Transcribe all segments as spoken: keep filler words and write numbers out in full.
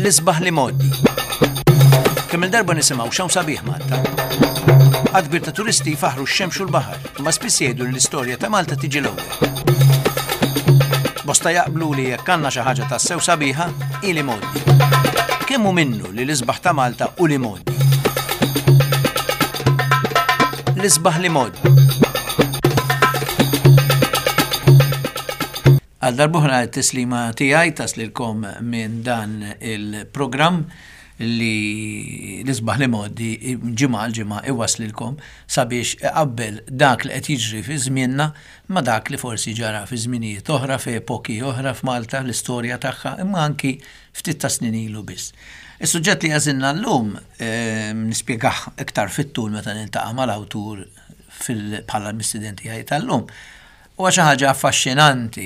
L-isbaħ l-imgħoddi. Kemm il-darba nisimgħu x'hawn sabiħ Malta. Għadd kbir ta' turisti jfaħru x-xemx u l-baħar, imma spiss jgħidu li l-istorja ta' Malta tiġi l-ewwel. Bosta jaqblu li jekk għandna xi ħaġa tassew sabiħa, hi l-imgħoddi. Kemm hu minnu li l-isbaħ ta' Malta u l-imgħoddi? L-isbaħ l-imgħoddi. Għal darb'oħra t-tislima tiegħi taslilkom minn dan il-programm li l-isbaħ l-imgħoddi ġimgħa għal ġimgħa iwaslilkom sabiex iqabbel dak li qed jiġri fi żmienna ma' dak li forsi ġara fi żminijiet oħra, f'epoki oħra f'Malta, l-istorja tagħha, imma anki ftit ta' snin ilu biss. Is-suġġett li għażilna llum nispjegah iktar fit-tul meta niltaqa' mal-awtur bħala l-mistieden tiegħi tal-lum. Huwa xi ħaġa affaxxinanti,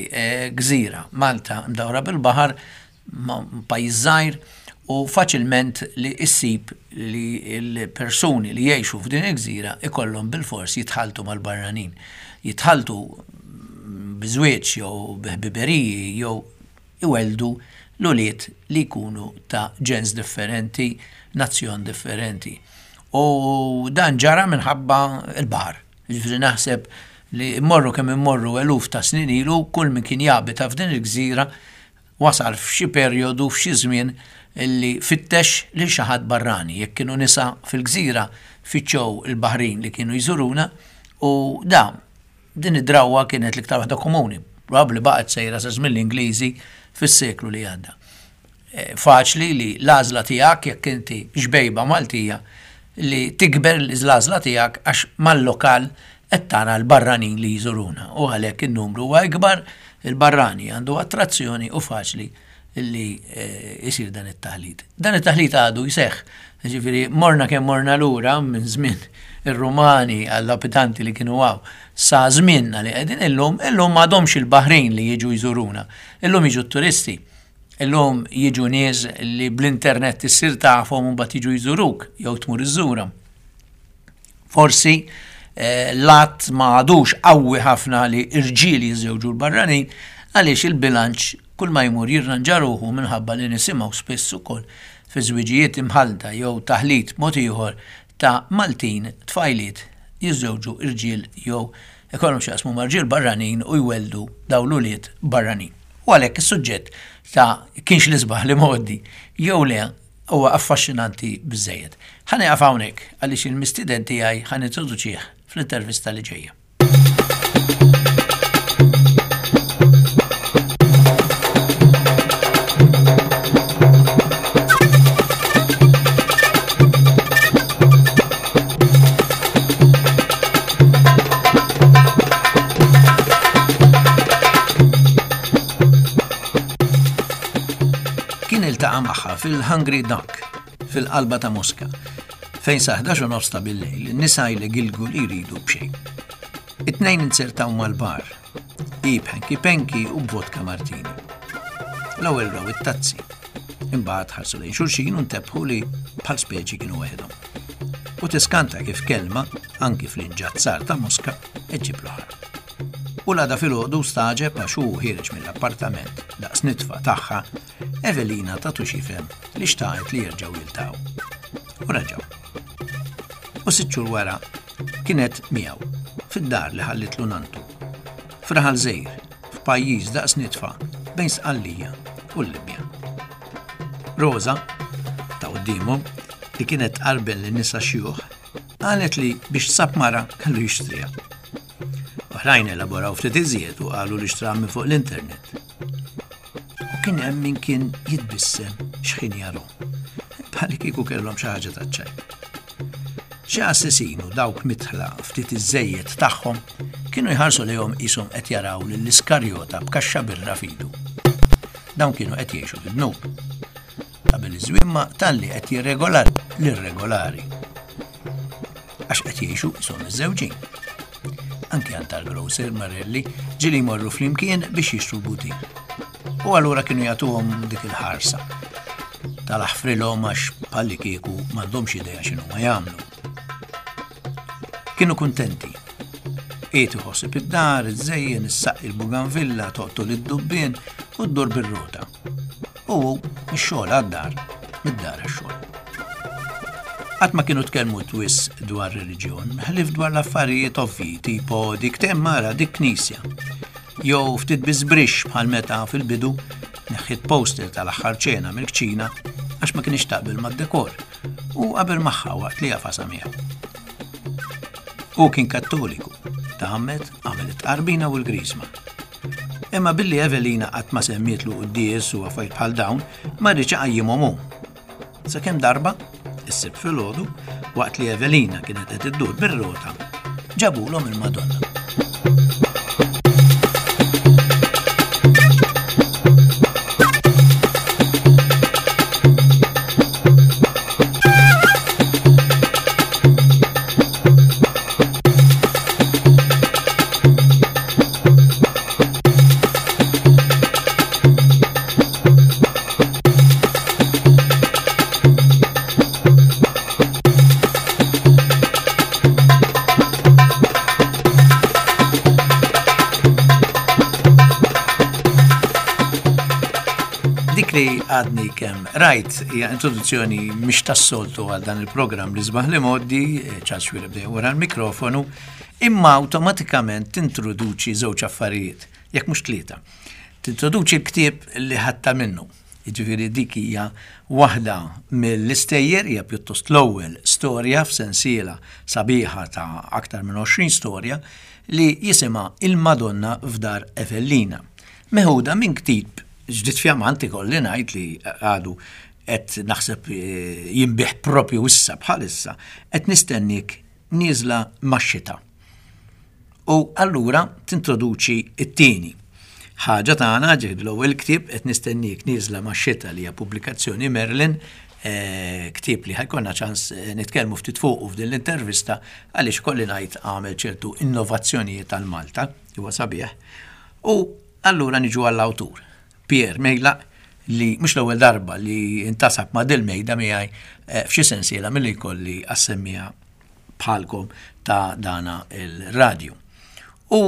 gżira, Malta mdawra bil-baħar, pajjiż żgħir, u faċilment li issib li l-persuni li jgħixu f'din il-gżira ikollhom bilfors jitħaltu mal-barranin. Jitħaltu biżwieġ jew biħbiberiji jew iweldu l-ulied li jkunu ta' ġens differenti, nazzjon differenti. U dan ġara minħabba l-baħar. Jiġifieri naħseb li mmorru kemm immorru eluf ta' snin ilu, kull min kien jabita f'din il-gżira wasal f'xi perjodu, f'xi żmien illi fittex lil xi ħadd barrani. Jekk kienu nisa fil-gżira fittxew il-baħrin li kienu jżuruna, u da din id-drawwa kienet l-iktar waħda komuni, probabbli baqgħet sejra sa żmien l-Ingliżi fis-seklu li għadda. Faċli li l-għażla tiegħek jekk inti xbejba Maltija li tikber l-għażla tiegħek għax mal-lokal qed tara l-barranin li jżuruna, u għalhekk in-numru huwa ikbar, il-barrani għandu attrazzjoni u faċli li jsir dan it-taħlit. Dan it-taħlit għadu jseħħ, ġifieri morna kemm morna lura minn żmien ir-Rumani għall-abitanti li kienu hawn sa żmienna li qegħdin illum, illum m'għadhomx il-baħrin li jiġu jżuruna, illum jiġu t-turisti, illum jiġu nies li bl-internet issir tafhom u mbagħad jiġu jżuruk jew tmur iżżurhom. Forsi l-att ma għadux qawwi ħafna li irġiel jiżżewġu l-barranin għaliex il-bilanċ kull ma jmur jirranġa ruħu minħabba li nisimgħu spiss ukoll fi żwiġijiet imħalta jew taħlit mod ieħor ta' Maltin tfajliet jiżżewġu irġiel jew ikollhom x'jaqsmu ma' rġiel barranin u jweldu dawn l-ulied barranin. U għalhekk is-suġġett ta' kienx l-isbaħ l-imgħoddi jew le huwa affaxxinanti biżżejjed. Ħa nieqaf hawnhekk għaliex il-mistieden tiegħi ħa nintroduċih fl-intervista li ġejja. Kien iltaqa' magħha fil-Hungry Duck fil-qalba ta' Moska, fejn sa ħdax u nofs ta' bil-lejl in-nisa jlegilgu li jridu b'xejn. It-tnejn inzertaw mal-bar, hi b'ħenki penki u b'vodka martini. L-ewwel raw it-tazzi, imbagħad ħarsu lejn xulxin u ntebħu li bħal speċi kienu waħedhom. U tiskanta kif kelma, anki fl-inġazzar ta' Moska, iġġib l-oħra. U l-għada filgħodu staġeb għax hu ħiereġ mill-appartament daqs nitfa tagħha, Evelina tatu xifem li xtaqet li jerġgħu jiltaqgħu. U reġgħu. U sitt xhur wara kienet miegħu fid-dar li ħallitlu nantu. F'raħal żgħir, f'pajjiż daqs nitfa bejn Sqallija u l-Libja. Rosa, ta' quddiemhom, li kienet tqarbel lin nisa xjuħ, qalet li biex sab mara kellu jixtriha. Oħrajn elaboraw ftit iżjed u qalu li xtraha minn fuq l-internet. U kien hemm min kien jitbissem x'ħin jaru, bħal kieku kellhom xi ħaġa taċ-ċajt. Xi assessinu dawk mitħla ftit iżejjed tagħhom kienu jħarsu lejhom qishom qed jaraw lill-Iskarjota b'kaxxa birra f'idu. Dawn kienu qed jgħixu fid-dnub. Qabel iż-żwimma talli qed jirregolar l-irregolari. Għax qed jgħixu qishom iż-żewġin. Anki għand tal-grocer Marelli ġieli jmorru flimkien biex jixtru l-butin. U allura kienu jagħtuhom dik il-ħarsa. Tal-aħfrilhom għax bħalli kieku m'għandhomx idea x'inhu ma jagħmlu. Kienu kuntenti. Qiegħed iħossib id-dar, iżżejjen, issaqqi l-buganvilla, toqtol id-dubbien u ddur bir-rota. U hu x-xogħol għad-dar mid-dar għax-xogħol. Qatt ma kienu tkellmu wisq dwar reliġjon, ħlief dwar l-affarijiet ovvji, tipo dik temmara, dik knisja. Jew ftit biżbrix bħal meta fil-bidu neħħiet poster tal-aħħar ċena mill-kċina għax ma kienx taqbel mad-dekor u qabel magħha waqt li jafasa miegħu. Hu kien Kattoliku, tgħammed, għamel it-tqarbina u l-grisma. Imma billi Evelina qatt ma semmietlu quddies u affarijiet bħal dawn, ma riedx iqajjimhom hu. Sakemm darba, is-Sibt filgħodu, waqt li Evelina kienet qed iddur bir-rota, ġabulhom il-Madonna. Dik li għadni kemm rajt hija introduzzjoni mhix tas-soltu għal dan il-programm li sbaħ li moddi, Charles Xuereb dejjem wara l-mikrofonu, imma awtomatikament tintroduċi żewġ affarijiet, jekk mhux tlieta. Tintroduċi l-ktieb li ħadta minnu. Jiġifieri dik hija waħda mill-istejjer, hija pjuttost l-ewwel storja f'sensiela sabiħa ta' aktar minn għoxrin storja li jisimha Il-Madonna f'Dar Evellina. Meħuda minn ktieb ġdid fjamanti kolli ngħid li għadu qed naħseb jinbih propju issa bħalissa, qed nistennik nieżla max-xita. U allura tintroduċi t-tieni ħaġa tagħna, ġifieri l-ewwel ktieb qed nistennik nieżla max-xita li hija pubblikazzjoni Merlin, eh, ktieb li ħajkonna ċans nitkellmu ftit fuqu f'din l-intervista għaliex kolli ngħid għamel ċertu innovazzjonijiet għal Malta, huwa sabiħ. U allura niġu għall-awtur, Pierre Mejlaq, li mhux l-ewwel darba li intasab ma' dil-mejda miegħi, eh, f'xi sensiela milli jkolli assemmija bħalkom ta' dana il-radju. U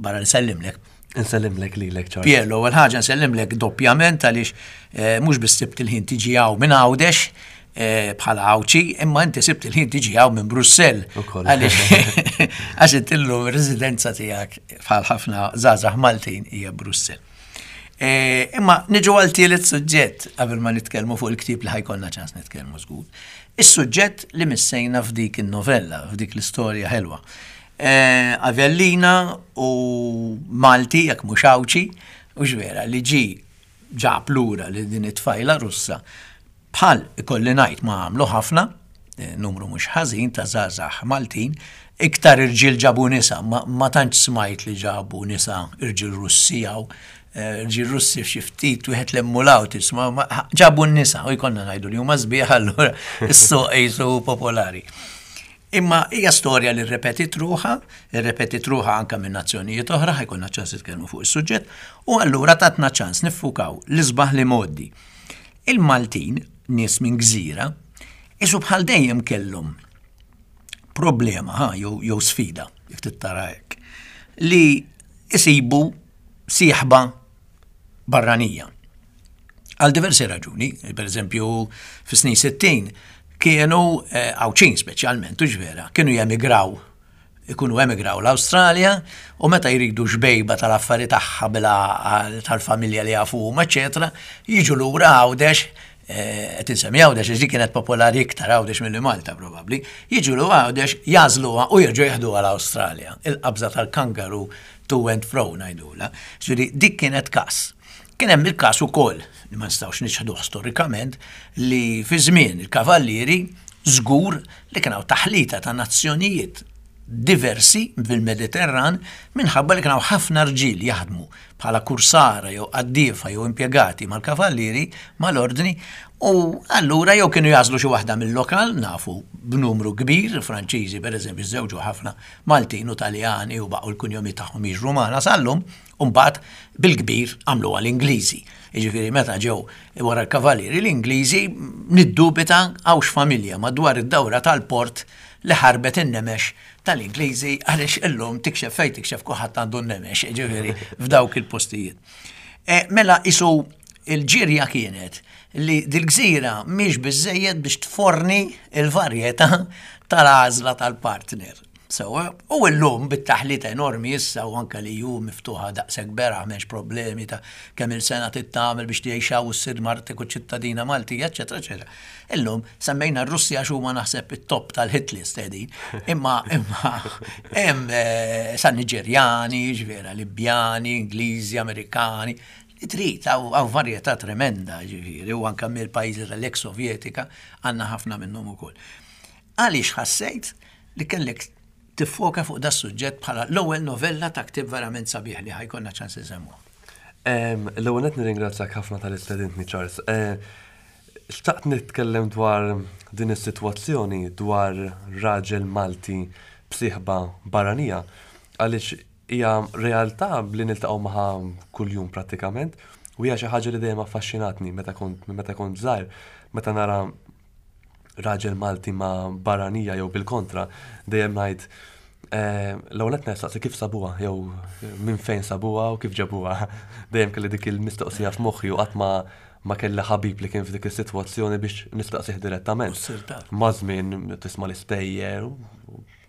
barra nsellimlek. Nsellimlek lilek, Charles. Pierre, l-ewwel ħaġa nsellimlek doppjament għaliex, eh, mhux biss sibt il-ħin tiġi hawn minn Għawdex, eh, bħala Għawdxi, imma inti sibt il-ħin tiġi hawn minn Brussell. Ukoll. Għaliex għax inti llum ir-residenza tiegħek bħal ħafna żgħażagħ Maltin hija Brussell. Eh, imma niġu għal tielet suġġett qabel ma nitkellmu fuq il-ktieb li ħajkollna ċans nitkellmu żgur. Is-suġġett li missejna f'dik in-novella, f'dik l-istorja ħelwa. Eh, Avellina u Malti, jekk mhux Għawdxi, u ġvera li ġi ġab lura li din it-tfajla Russa bħal ikolli ngħid ma għamlu ħafna, eh, numru mhux ħażin ta' żgħażagħ Maltin, iktar irġiel ġabu nisa, ma, ma tantx smajt li ġabu nisa irġiel Russi jew, eh, irġiel Russi f'xi ftit wieħed l-emmulaw tisma', ma ġabu n-nisa u jkollna ngħidu li huma sbieħ allura is-suq qisu popolari. Imma hija storja li rrepetit ruħha, rrepetit ruħha anke minn nazzjonijiet oħra, ħajkollna ċans nitkellmu fuq is-suġġett, u allura tatna ċans niffukaw l-isbaħ li mgħoddi. Il-Maltin, nies minn gżira, isu bħal dejjem kellhom problema, ha, jew, jew sfida, jekk tittara hekk, li isibu sieħba barranija. Għal diversi raġuni, per eżempju, fis-snin sittin kienu, eh, Għawdxin speċjalment, u ġvera, kienu jemigraw, ikunu emigraw l-Awstralja, u meta jridu xbejba tal-affari tagħha bila tal-familja li jafu huma, eċetera, jiġu lura Għawdex, eh, qed insemmi Għawdex għax dik kienet popolari iktar Għawdex milli Malta probabbli, jiġu lura Għawdex, jażluha u jerġgħu jeħduha l-Awstralja. Il-qabża tal-kangaru to and fro ngħidulha. Ġifieri dik kienet każ. Kien hemm il-każ ukoll, li ma nistgħux niċħduh storikament, li fi żmien il-kavallieri żgur li kien hawn taħlita ta' nazzjonijiet diversi fil-Mediterran minħabba li kien hawn ħafna rġiel jaħdmu bħala kursara jew qaddiefa jew impjegati mal-kavallieri mal-ordni, u allura jew kienu jażlu xi waħda mill-lokal, nafu b'numru kbir, Franċiżi pereżempju żewġu ħafna Maltin u Taljani u baqgħu l-kunjomi tagħhom jiġru magħna sal-lum, u mbagħad bil-kbir għamluha l-Ingliżi. Jiġifieri meta ġew wara l-kavallieri l-Ingliżi niddubita hawnx familja madwar id-dawra tal-port li ħarbet in-nemex tal-Ingliżi għaliex illum tikxef fejn tikxef kulħadd għandu n-nemex, jiġifieri f'dawk il-postijiet. E, mela isu il-ġirja kienet li dil-gżira mhix biżejjed biex tforni il-varjetà tal-għażla tal-partner. Sewwa, u llum bit-taħlita enormi issa u anka li ju miftuħa daqshekk beraħ, m'hemmx problemi ta' kemm il-sena tittamel biex tgħixha u ssir martek u ċittadina Maltija, eċetera, eċetera. Illum semmejna r-Russja għax huma naħseb it-top tal-hit list qegħdin. Imma imma hemm eh, sa Niġerjani, ġifieri Libjani, Ingliżi, Amerikani, li trid hawn varjetà tremenda, ġifieri, u anka mill-pajjiżi tal-ex Sovjetika għandna ħafna minnhom ukoll. Għaliex ħassejt li kellek tiffoka fuq da suġġett bħala l-ewwel novella ta' ktib verament sabiħ li ħa jkollna ċans insemmu? L-ewwel qed nirringrazzjak ħafna talli stedintni, Charles. Eh, xtaqt nitkellem dwar din is-sitwazzjoni, dwar raġel Malti b'sieħba barranija, għaliex hija realtà li niltaqgħu magħha kuljum prattikament u hija xi ħaġa li dejjem affaxxinatni meta kont meta kont żgħir, meta nara raġel Malti ma' barranija jew bil-kontra, dejjem ngħid eh, l-ewwel qed nistaqsi kif sabuha jew minn fejn sabuha u kif ġabuha. Dejjem kelli dik il-mistoqsija f'moħħi u qatt ma ma kelli ħabib li kien f'dik is-sitwazzjoni biex nistaqsih direttament. Ma' żmien tisma' l-istejjer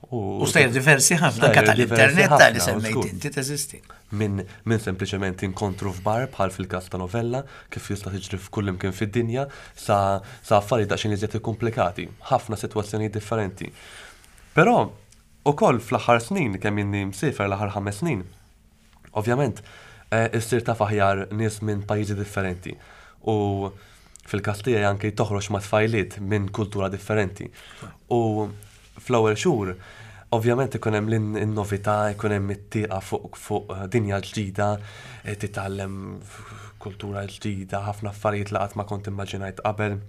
u stejjer diversi ħafna, anka tal-internet tal-li semmejt inti teżisti. Min, min sempliċement inkontru f'bar, bħal fil-każ ta' novella, kif jista' tiġri f'kull imkien fid-dinja, sa, sa affarijiet daqsxejn iżjed komplikati, ħafna sitwazzjonijiet differenti. Però ukoll fl-aħħar snin, kemm inni msiefer, l-aħħar ħames snin, ovvjament eh, issir taf aħjar nies minn pajjiżi differenti. U fil-każ tiegħi anke toħroġ ma' tfajliet minn kultura differenti. U fl-ewwel xhur ovvjament ikun hemm l-novità, ikun hemm it-tieqa fuq fuq dinja ġdida, eh, titgħallem kultura ġdida, ħafna affarijiet li qatt ma kont immaġinajt qabel,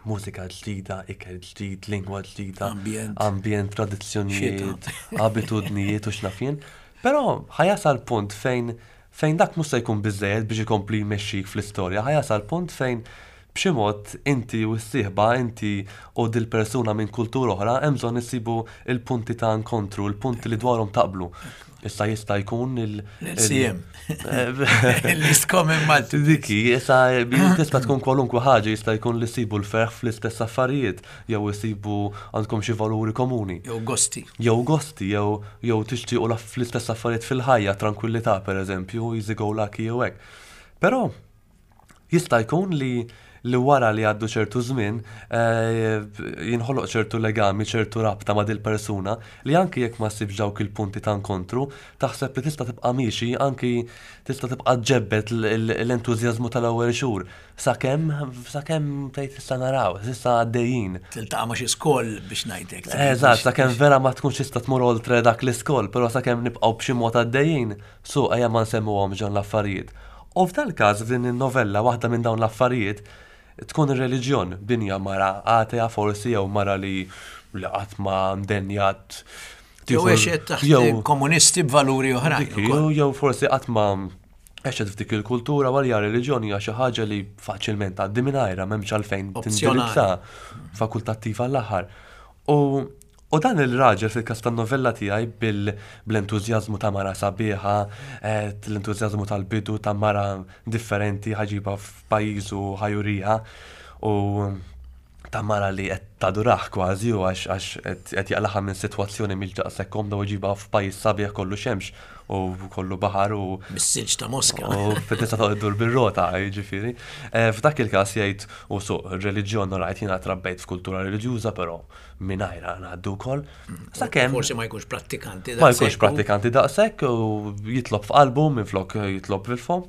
mużika ġdida, ikel ġdid, lingwa ġdida, ambjent, ambjent, tradizzjonijiet, abitudnijiet u x'naf jien. Però ħa jasal punt fejn fejn dak mhux se jkun biżejjed biex ikompli jmexxik fl-istorja, ħa jasal punt fejn b'xi mod inti u s-sieħba, inti u dil-persuna minn kultura oħra, hemm bżonn issibu il-punti ta' inkontru, il-punti li dwarhom taqblu. Issa jista' jkun il- L-L C M. Least common multiple. Diki, issa tista' tkun kwalunkwe ħaġa, jista' jkun li ssibu l-ferħ fl-istess affarijiet, jew isibu għandkom xi valuri komuni. Jew gosti. Jew gosti, jew jew tixtiequ fl-istess affarijiet fil-ħajja, tranquillità pereżempju, easy go lucky jew hekk. Però jista' jkun li li wara li għaddu ċertu żmien eh, jinħoloq ċertu legami, ċertu rabta ma' dil-persuna li anki jekk ma ssibx dawk il-punti ta' inkontru, taħseb li tista' tibqa' miexi, anki tista' tibqa' ġebbet l-entużjażmu tal-ewwel xhur. Sakemm sakemm tgħid issa naraw, issa għaddejjin. Tiltaqa' ma' xi skoll, biex ngħidlek. Eżatt, sakemm vera ma tkunx tista' tmur oltre dak l-iskoll, però sakemm nibqgħu b'xi mod għaddejjin, su ejja ma nsemmuhom ġon l-affarijiet. U f'dal każ, f'din in-novella, waħda minn dawn l-affarijiet tkun ir-reliġjon. Dinja mara atea forsi, jew mara li li qatt ma ndenjat Jew għexet taħt komunisti b'valuri oħrajn. Jew jew forsi qatt ma għexet f'dik il-kultura, għalija reliġjoni hija xi ħaġa li faċilment għaddi mingħajrha, m'hemmx għalfejn tindirizza, fakultattiva l-aħħar. U U dan il-raġel fil-każ tan-novella tiegħi, bl-entużjażmu ta' mara sabiħa, eh, l-entużjażmu tal-bidu ta' mara differenti ħa jġibha f'pajjiżu, ħa juriha, u ta' mara li qed tadurah kważi u għax għax qed jaqlagħha minn sitwazzjoni mhix daqshekk komda u jġibha f'pajjiż sabiħ, kollu xemx u kollu baħar u Mis-silġ ta' Moska. U tista' toqgħod iddur bir-rota, jiġifieri. Eh, f'dak il-każ jgħid u suq reliġjon rajt jiena trabbejt f'kultura reliġjuża, però mingħajrha ngħaddu wkoll. Sakemm forsi ma jkunx prattikanti. Ma jkunx prattikanti daqshekk u jitlob f'qalbu minflok jitlob fil-fom.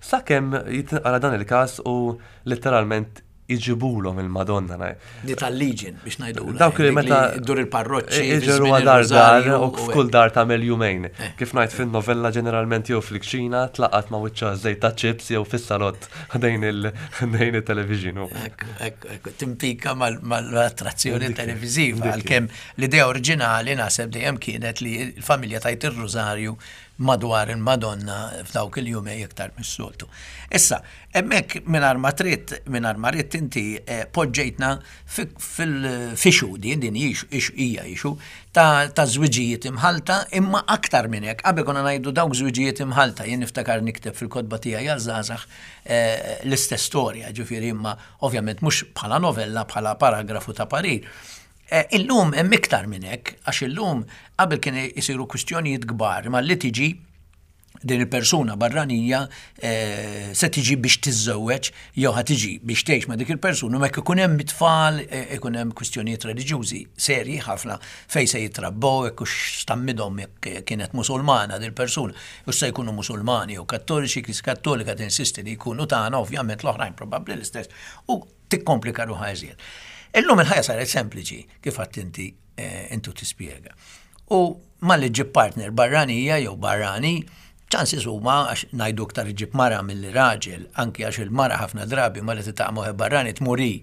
Sakemm jitqara dan il-każ u letteralment iġibulhom il-Madonna. Di tal-Legion, biex ngħidu. Dawk li meta Dur il-parroċċi. Iġru dar dar u f'kull dar tagħmel jumejn. Eh. Kif ngħid fin-novella, ġeneralment jew fil-kċina tlaqat ma' wiċċa żejt ta' chips jew fis-salott ħdejn il-television. Ekku, ekku, timpika mal-attrazzjoni televiżiva, għalkemm l-idea oriġinali naħseb dejjem kienet li l-familja tgħid ir-rużarju madwar il-Madonna f'dawk il-jumej iktar mis-soltu. Issa, hemmhekk mingħajr ma trid, mingħajr ma ridt inti eh, poġġejtna fil-issue din din hija issue ta' ta' żwiġijiet imħalta, imma aktar minn hekk, qabel konna ngħidu dawk żwiġijiet imħalta, jien niftakar nikteb fil-kotba tiegħi għaż-żgħażagħ eh, l-istess storja, ġifieri imma ovvjament mhux bħala novella, bħala paragrafu ta' parir. Eh, Illum hemm iktar minn hekk, għax illum qabel kien isiru kwistjonijiet kbar, ma li tiġi din il-persuna barranija eh, se tiġi biex tiżżewweġ jew ħa tiġi biex tgħix ma' dik il-persuna, ma jekk ikun hemm it-tfal, eh, ikun hemm kwistjonijiet reliġjużi serji ħafna fejn se jitrabbew, jekk hux tgħammidhom jekk kienet musulmana din il-persuna, u se jkunu musulmani jew kattoliċi, kis kattolika tinsisti li jkunu tagħna, ovvjament l-oħrajn probabbli l-istess, u tikkomplika ruħha iżjed. Illum il-ħajja saret sempliċi, kif għedt inti eh, intu tispjega. U malli ġġib partner barranija jew barrani, chances huma għax ngħidu iktar iġib mara milli raġel, anki għax il-mara ħafna drabi malli tiltaqa' ma' barrani tmur hi.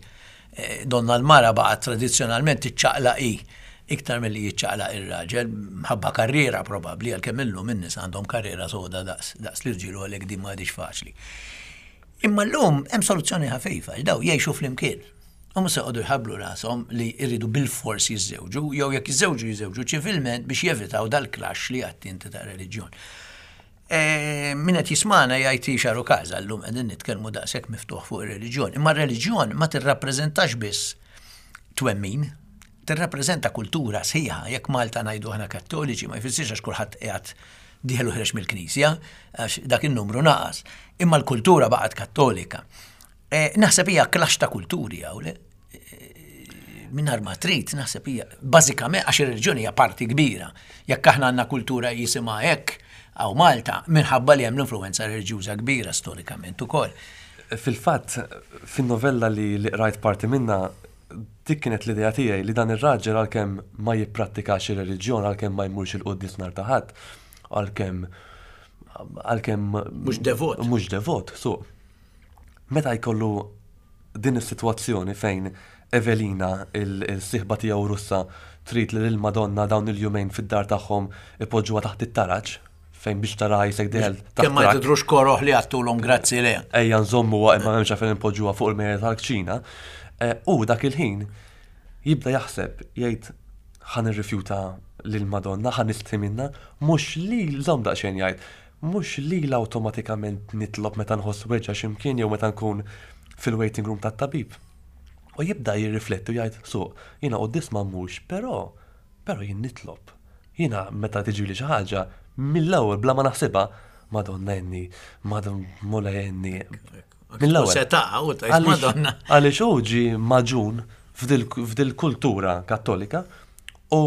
Eh, Donna l-mara baqgħet tradizzjonalment tiċċaqlaq hi iktar milli jiċċaqlaq ir-raġel, mħabba karriera probabbli, għalkemm illum in-nies għandhom karriera soda daqs daqs l-irġiel u għalhekk din m'għadix faċli. Imma llum hemm soluzzjoni ħafifa, daw jgħixu flimkien. U mhux se joqogħdu jħabblu rashom li jridu bil-fors jiżżewġu, jew jekk jiżżewġu jiżżewġu ċivilment biex jevitaw dal-clash li għedt inti ta' reliġjon. E, Min qed jismagħna jgħid xaru każa llum qegħdin nitkellmu daqshekk miftuħ fuq ir-reliġjon. Imma r-reliġjon ma tirrappreżentax biss twemmin, tirrappreżenta kultura sħiħa. Jekk Malta ngħidu aħna kattoliċi ma jfissirx għax kulħadd qiegħed dieħel u ħiereġ mill-Knisja, għax dak in-numru naqas. Imma l-kultura baqgħet kattolika. E, Naħseb hija clash ta' kulturi hawn, le? Mingħajr ma trid, naħseb hija bażikament għax ir-reliġjoni hija parti kbira. Jekk aħna għandna kultura jisimha hekk hawn Malta, minħabba li hemm l-influenza reliġjuża kbira storikament ukoll. Fil-fatt, fin-novella li li qrajt parti minna, dik kienet l-idea tiegħi li dan ir-raġel għalkemm ma jipprattikax ir-reliġjon, għalkemm ma jmurx il-quddies nhar ta' Ħadd, għalkemm għalkemm Mhux devot. Mhux devot, so. Meta jkollu din is-sitwazzjoni fejn Evelina, il-sieħba tiegħu Russa, trid li lill-Madonna dawn il-jumejn fid-dar tagħhom ipoġġuha taħt it-taraġ, fejn biex tara jisek dieħel taħt Kemm ma trakk. tidrux koroħ li għattulhom grazzi le. Ejja nżommu imma m'hemmx għalfejn inpoġġuha fuq il-mejda tal-kċina. Eh, U dak il-ħin jibda jaħseb jgħid ħa nirrifjuta lil-Madonna, ħa nistħi minnha, mhux li żomm daqsxejn jgħid, mhux li l-awtomatikament nitlob meta nħoss weġgħa x'imkien jew meta nkun fil-waiting room tat-tabib. U jibda jirrifletti u jgħid, so, jiena quddies ma mmurx, però, però jien nitlob. Jiena meta tiġi li xi ħaġa, mill-ewwel bla ma naħsibha, Madonna għinni, Madonna Mulej għinni. Mill-ewwel. Se taqa' u tgħid Għaliex- Madonna. Għaliex hu ġi magħġun f'dil- f'dil-kultura kattolika u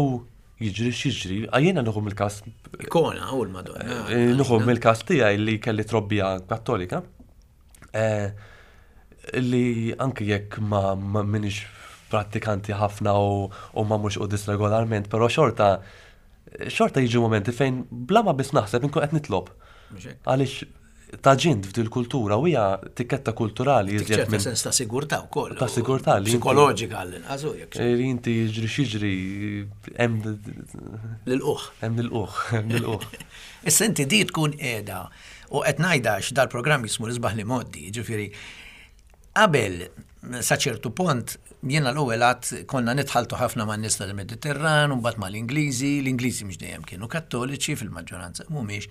jiġri x'jiġri, jiena nieħu mill-każ Ikona u l-Madonna. eh, nieħu mill-każ tiegħi li kelli trobbija kattolika. eh, Li anke jekk ma ma minix prattikanti ħafna u, u ma mhux quddies regolarment, però xorta xorta jiġu momenti fejn bla ma biss naħseb inkun qed nitlob. Mhux hekk. Għaliex tgħaġint f'dil kultura u hija tikketta kulturali iżjed ċerta minn sens ta' sigurtà wkoll. Ta' sigurtà li inti- Psikoloġika għall-inqas u jekk. li inti jiġri x'jiġri hemm L-uħ. hemm l-uħ, hemm l-uħ. Issa inti di tkun qiegħda u qed ngħidha għax dal-programm jismu l-isbaħ l-imgħoddi, ġifieri qabel sa ċertu punt jiena l-ewwel għad konna nitħaltu ħafna man nies tal-Mediterran u mbagħad mal-Ingliżi, l-Ingliżi mhux dejjem kienu kattoliċi fil-maġġoranza mhumiex.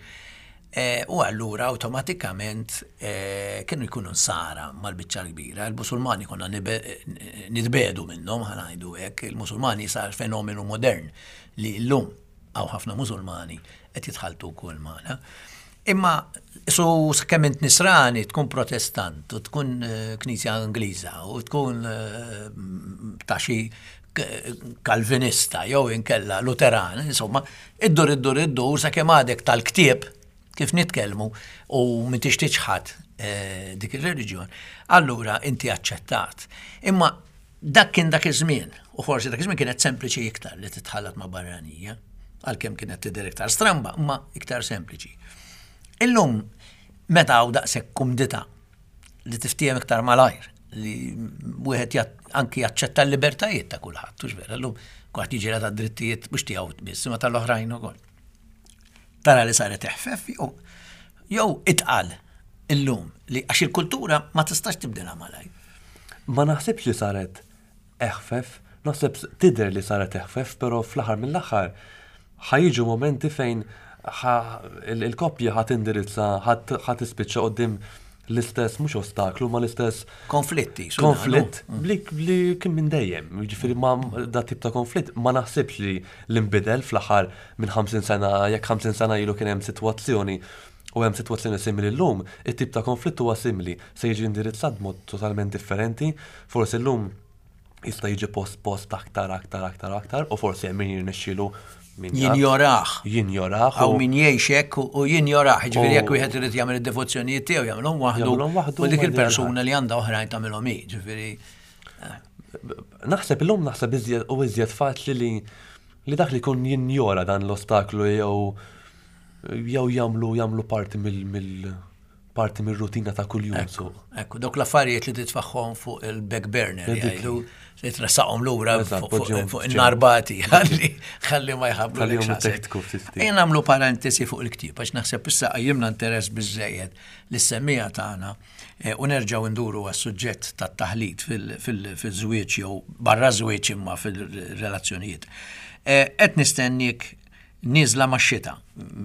Eh, U allura awtomatikament eh, kienu jkunu nsara mal-biċċa l-kbira. Il-Musulmani konna nibe- nitbiegħdu minnhom, ħa ngħidu hekk, il-Musulmani sar fenomenu modern li llum hawn ħafna Musulmani qed jitħaltu wkoll magħna. Imma su kemm int nisrani tkun protestant u tkun eh, knisja Ingliża u tkun eh, ta' xi k- kalvinista jew inkella Luteran, insomma, iddur iddur iddur sakemm għadek tal-ktieb kif nitkellmu u m'intix tiċħad eh, dik ir-reliġjon, allura inti aċċettat. Imma dak kien dak iż-żmien, u forsi dak iż-żmien kienet sempliċi iktar li titħallat ma' barranija, għalkemm kienet tidher iktar stramba, imma iktar sempliċi. Illum, meta hawn daqshekk kumdità li tiftiehem iktar malajr, li wieħed jat- anki jaċċetta l-libertajiet ta' kulħadd, hux vera, llum kulħadd jiġi ta' drittijiet mhux tiegħu biss, imma tal-oħrajn ukoll. Tara li saret eħfef jew jew itqal illum li għax il-kultura ma tistax tibdilha malajr. Ma naħsibx li saret eħfef, naħseb tidher li saret eħfef, però fl-aħħar mill-aħħar ħa jiġu momenti fejn il-koppja ħa tindirizza, ħa tispiċċa quddiem l-istess, mhux ostaklu, ma l-istess konflitti. Konflitt li, li kien minn dejjem. Jiġifieri ma da tip ta' konflitt ma naħsibx li l-imbidel fl-aħħar minn ħamsin sena, jekk ħamsin sena ilu kien hemm sitwazzjoni u hemm sitwazzjoni simili llum, it-tip ta' konflitt huwa simili, se jiġi indirizzat b'mod totalment differenti, forsi llum jista' jiġi post post aktar, aktar, aktar, aktar, u forsi hemm min jirnexxielu min jaf. Jinjoraħ. Jinjoraħ. Aw min jgħix hekk u jinjoraħ, jiġifieri jekk wieħed irid jagħmel id-devozzjonijiet tiegħu jagħmilhom waħdu. Jagħmilhom waħdu u dik ma il-persuna li għandha oħrajn tagħmilhom hi, ġifieri. Naħseb illum naħseb iżjed u iżjed faċli li li dak li jkun jinjora dan l-ostaklu jew jew jagħmlu jagħmlu parti mill mill parti mir-rutina ta' kuljum. Ekku, ekku, dawk l-affarijiet li titfaħħom fuq il-back burner, Dik. jgħidu, li tressaqhom lura Eżatt, fuq- fuq poġġihom fuq f'ġenb. in-narbati, ħalli ħalli ma jħabblu Ħallihom lek xasek. itekku ftit ftit. Ejja nagħmlu parentesi fuq il-ktieb, għax naħseb issa qajjimna interess biżżejjed lis-semmiegħa tagħna eh, u nerġgħu nduru għas-suġġett tat-taħlit fil-żwieġ jew barra żwieġ imma fil-relazzjonijiet. Eh, Qed nistennik nieżla max-xita,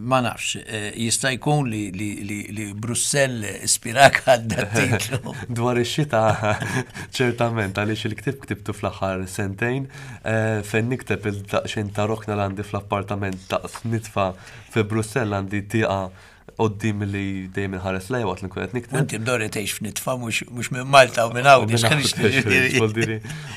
ma nafx, eh, jista' jkun li, li, li, li Brussell ispirak għal dat-titlu. Dwar ix-xita, ċertament, għaliex il-ktieb ktibtu fl-aħħar sentejn, eh, fejn nikteb il-daqsxejn ta' rokna li għandi fl-appartament daqs nitfa fi Brussell, għandi tieqa quddiem li dejjem inħares lejha waqt li nkun qed nikteb. Inti mdorri tgħix f'nitfa mhux mhux minn Malta u minn Għawdex, Vuol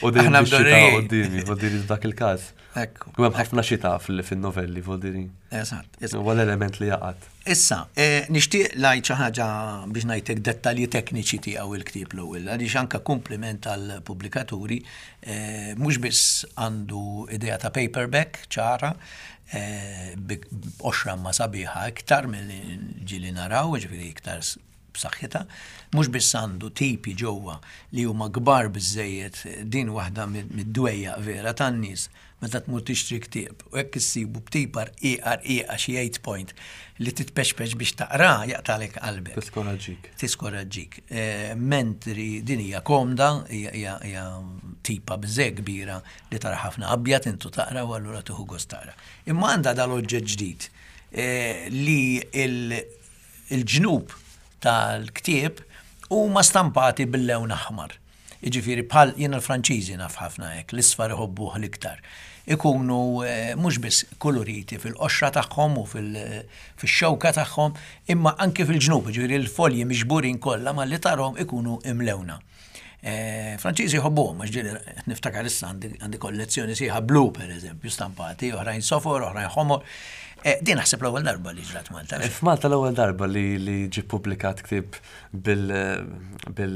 U dejjem Aħna ix-xita mdorrijin. quddiemi, vuol dire f'dak il-każ. Ekku. U hemm ħafna xita fil- fin-novelli, vuol dire. Eżatt, eżatt. Huwa l-element li jaqgħad. Issa, eh, nixtieq ngħid xi ħaġa biex ngħidlek dettalji tekniċi tiegħu il-ktieb l-ewwel, għaliex anke kompliment tal-pubblikaturi, eh, mhux biss għandu idea ta' paperback ċara, eh, bi qoxra ma sabiħa iktar milli ġieli naraw, ġifieri iktar s- b'saħħitha, mhux biss għandu tipi ġewwa li huma kbar biżejjed, din waħda mid- mid-dwejja vera tan-nies meta tmur tixtri ktieb u hekk issibu b'tipa rqiqa rqiqa xi eight point li titpexpex biex taqra jaqtalek qalbek. Tiskoraġġik. Tiskoraġġik. Eh, mentri din hija komda, hija- hija hija tipa biżej kbira li tara ħafna abjad intu taqra u allura tieħu gost taqra. Imma għandha dal-oġġett ġdid eh, li il- il-ġnub tal-ktieb huma stampati bil-lewn aħmar. Jiġifieri bħal jiena l-Franċiżi naf ħafna hekk, l-isfar iħobbuh l-iktar. Ikunu eh, mhux biss koloriti fil-qoxra tagħhom u fil- fix-xewka tagħhom, imma anke fil-ġnub, jiġifieri l-folji miġburin kollha malli tarhom ikunu imlewna. Eh, Franċiżi jħobbuhom, għax ġieli niftakar issa għandi għandi kollezzjoni sħiħa blu per eżempju, stampati, oħrajn sofor, oħrajn ħomor. Eh, Din naħseb l-ewwel darba li ġrat Malta. F'Malta l-ewwel darba li li ġie ppubblikat ktieb bil bil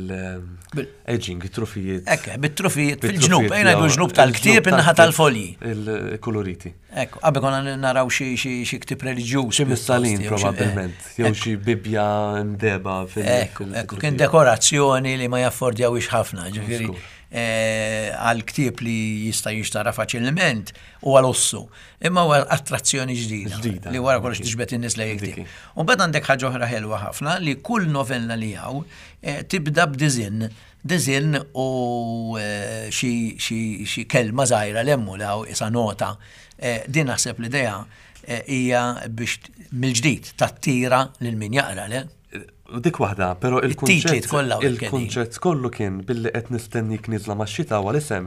Bil- edging, trufijiet. Ekk, bit-trufijiet Bit-trufijiet fil-ġnub, ejna jew- ġnub tal-ktieb il-ġnub in-naħa tal-ktieb, tal-folji. Il-koloriti. Ekku, qabel konna naraw xi xi xi ktieb reliġjuż. Xi missalin pjuttost, jew xi- probabbilment, jew xi Bibbja mdeba fil- Ekku, fil- ekku, kien dekorazzjoni li ma jaffordjawix ħafna, ġifieri Żgur. eh, għal ktieb li jista' jinxtara faċilment u għal ossu. Imma huwa attrazzjoni ġdida. Ġdida. Li wara kollox tiġbed in-nies lejn il-ktieb. Dik. U mbagħad għandek ħaġa oħra ħelwa ħafna li kull novella li hawn eh, tibda b'diżinn. Diżinn u eh, xi xi xi kelma żgħira lemmu li hawn isa nota. Eh, Din naħseb l-idea eh, hija biex mill-ġdid tattira lil min jaqra, le? U dik waħda, però It-titli il-kunċett kollha u l-kelin. il-kunċett kollu kien billi qed nistennik nieżla max-xita huwa l-isem,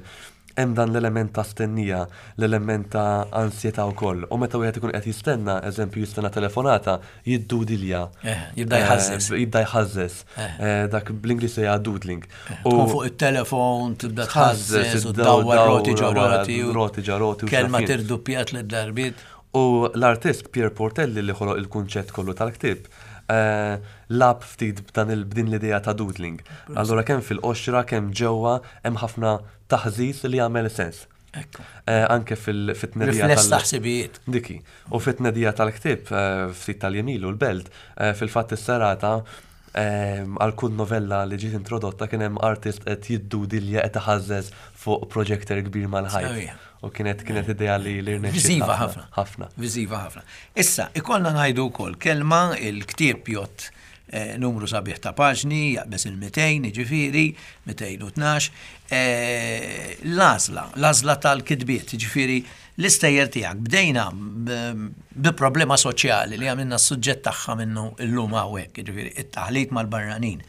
hemm dan l-element ta' stennija, l-element ta' ansjetà wkoll. U meta wieħed ikun qed jistenna, eżempju jistenna telefonata, jiddudilja. Eh, jibda jħażżeż. Eh, Jibda jħażżeż. Eh. Eh, Dak bl-Ingliż hija doodling. Tkun fuq il-telefon, tibda tħażżeż u ddawwar roti ġo roti. u Roti ġo roti. u Kelma x'naf jien. tirduppjat lid darbiet. U l-artist Pierre Portelli li ħoloq il-kunċett kollu tal-ktieb, eh, lagħab ftit b'dan il- b'din l-idea ta' doodling. Allura kemm fil-qoxra, kemm ġewwa, hemm ħafna taħżiż li jagħmel sens. Ekku. Eh, Anke fil- fit-tnedija Rifless tal- ta' ħsibijiet. Diki. U fit-tnedija tal-ktieb, eh, ftit tal-jiem ilu l-Belt, eh, fil-fatt is-serata Għal kull novella li ġiet introdotta kien hemm artist qed jiddudilja qed iħażżeż fuq projector kbir mal-ħajt. U kienet kienet idea li li rnexxiet Viżiva ħafna. Ħafna. Viżiva ħafna. Issa, ikollna ngħidu wkoll kelma il-ktieb jgħodd eh, numru sabiħ ta' paġni, jaqbeż il-mitejn, jiġifieri, mitejn u tnax. Eh, l-għażla, l-għażla tal-kitbiet, jiġifieri l-istejjer tiegħek. Bdejna bi problema soċjali li għamilna s-suġġett tagħha minnu llum hawnhekk, jiġifieri it-taħlit mal-barranin.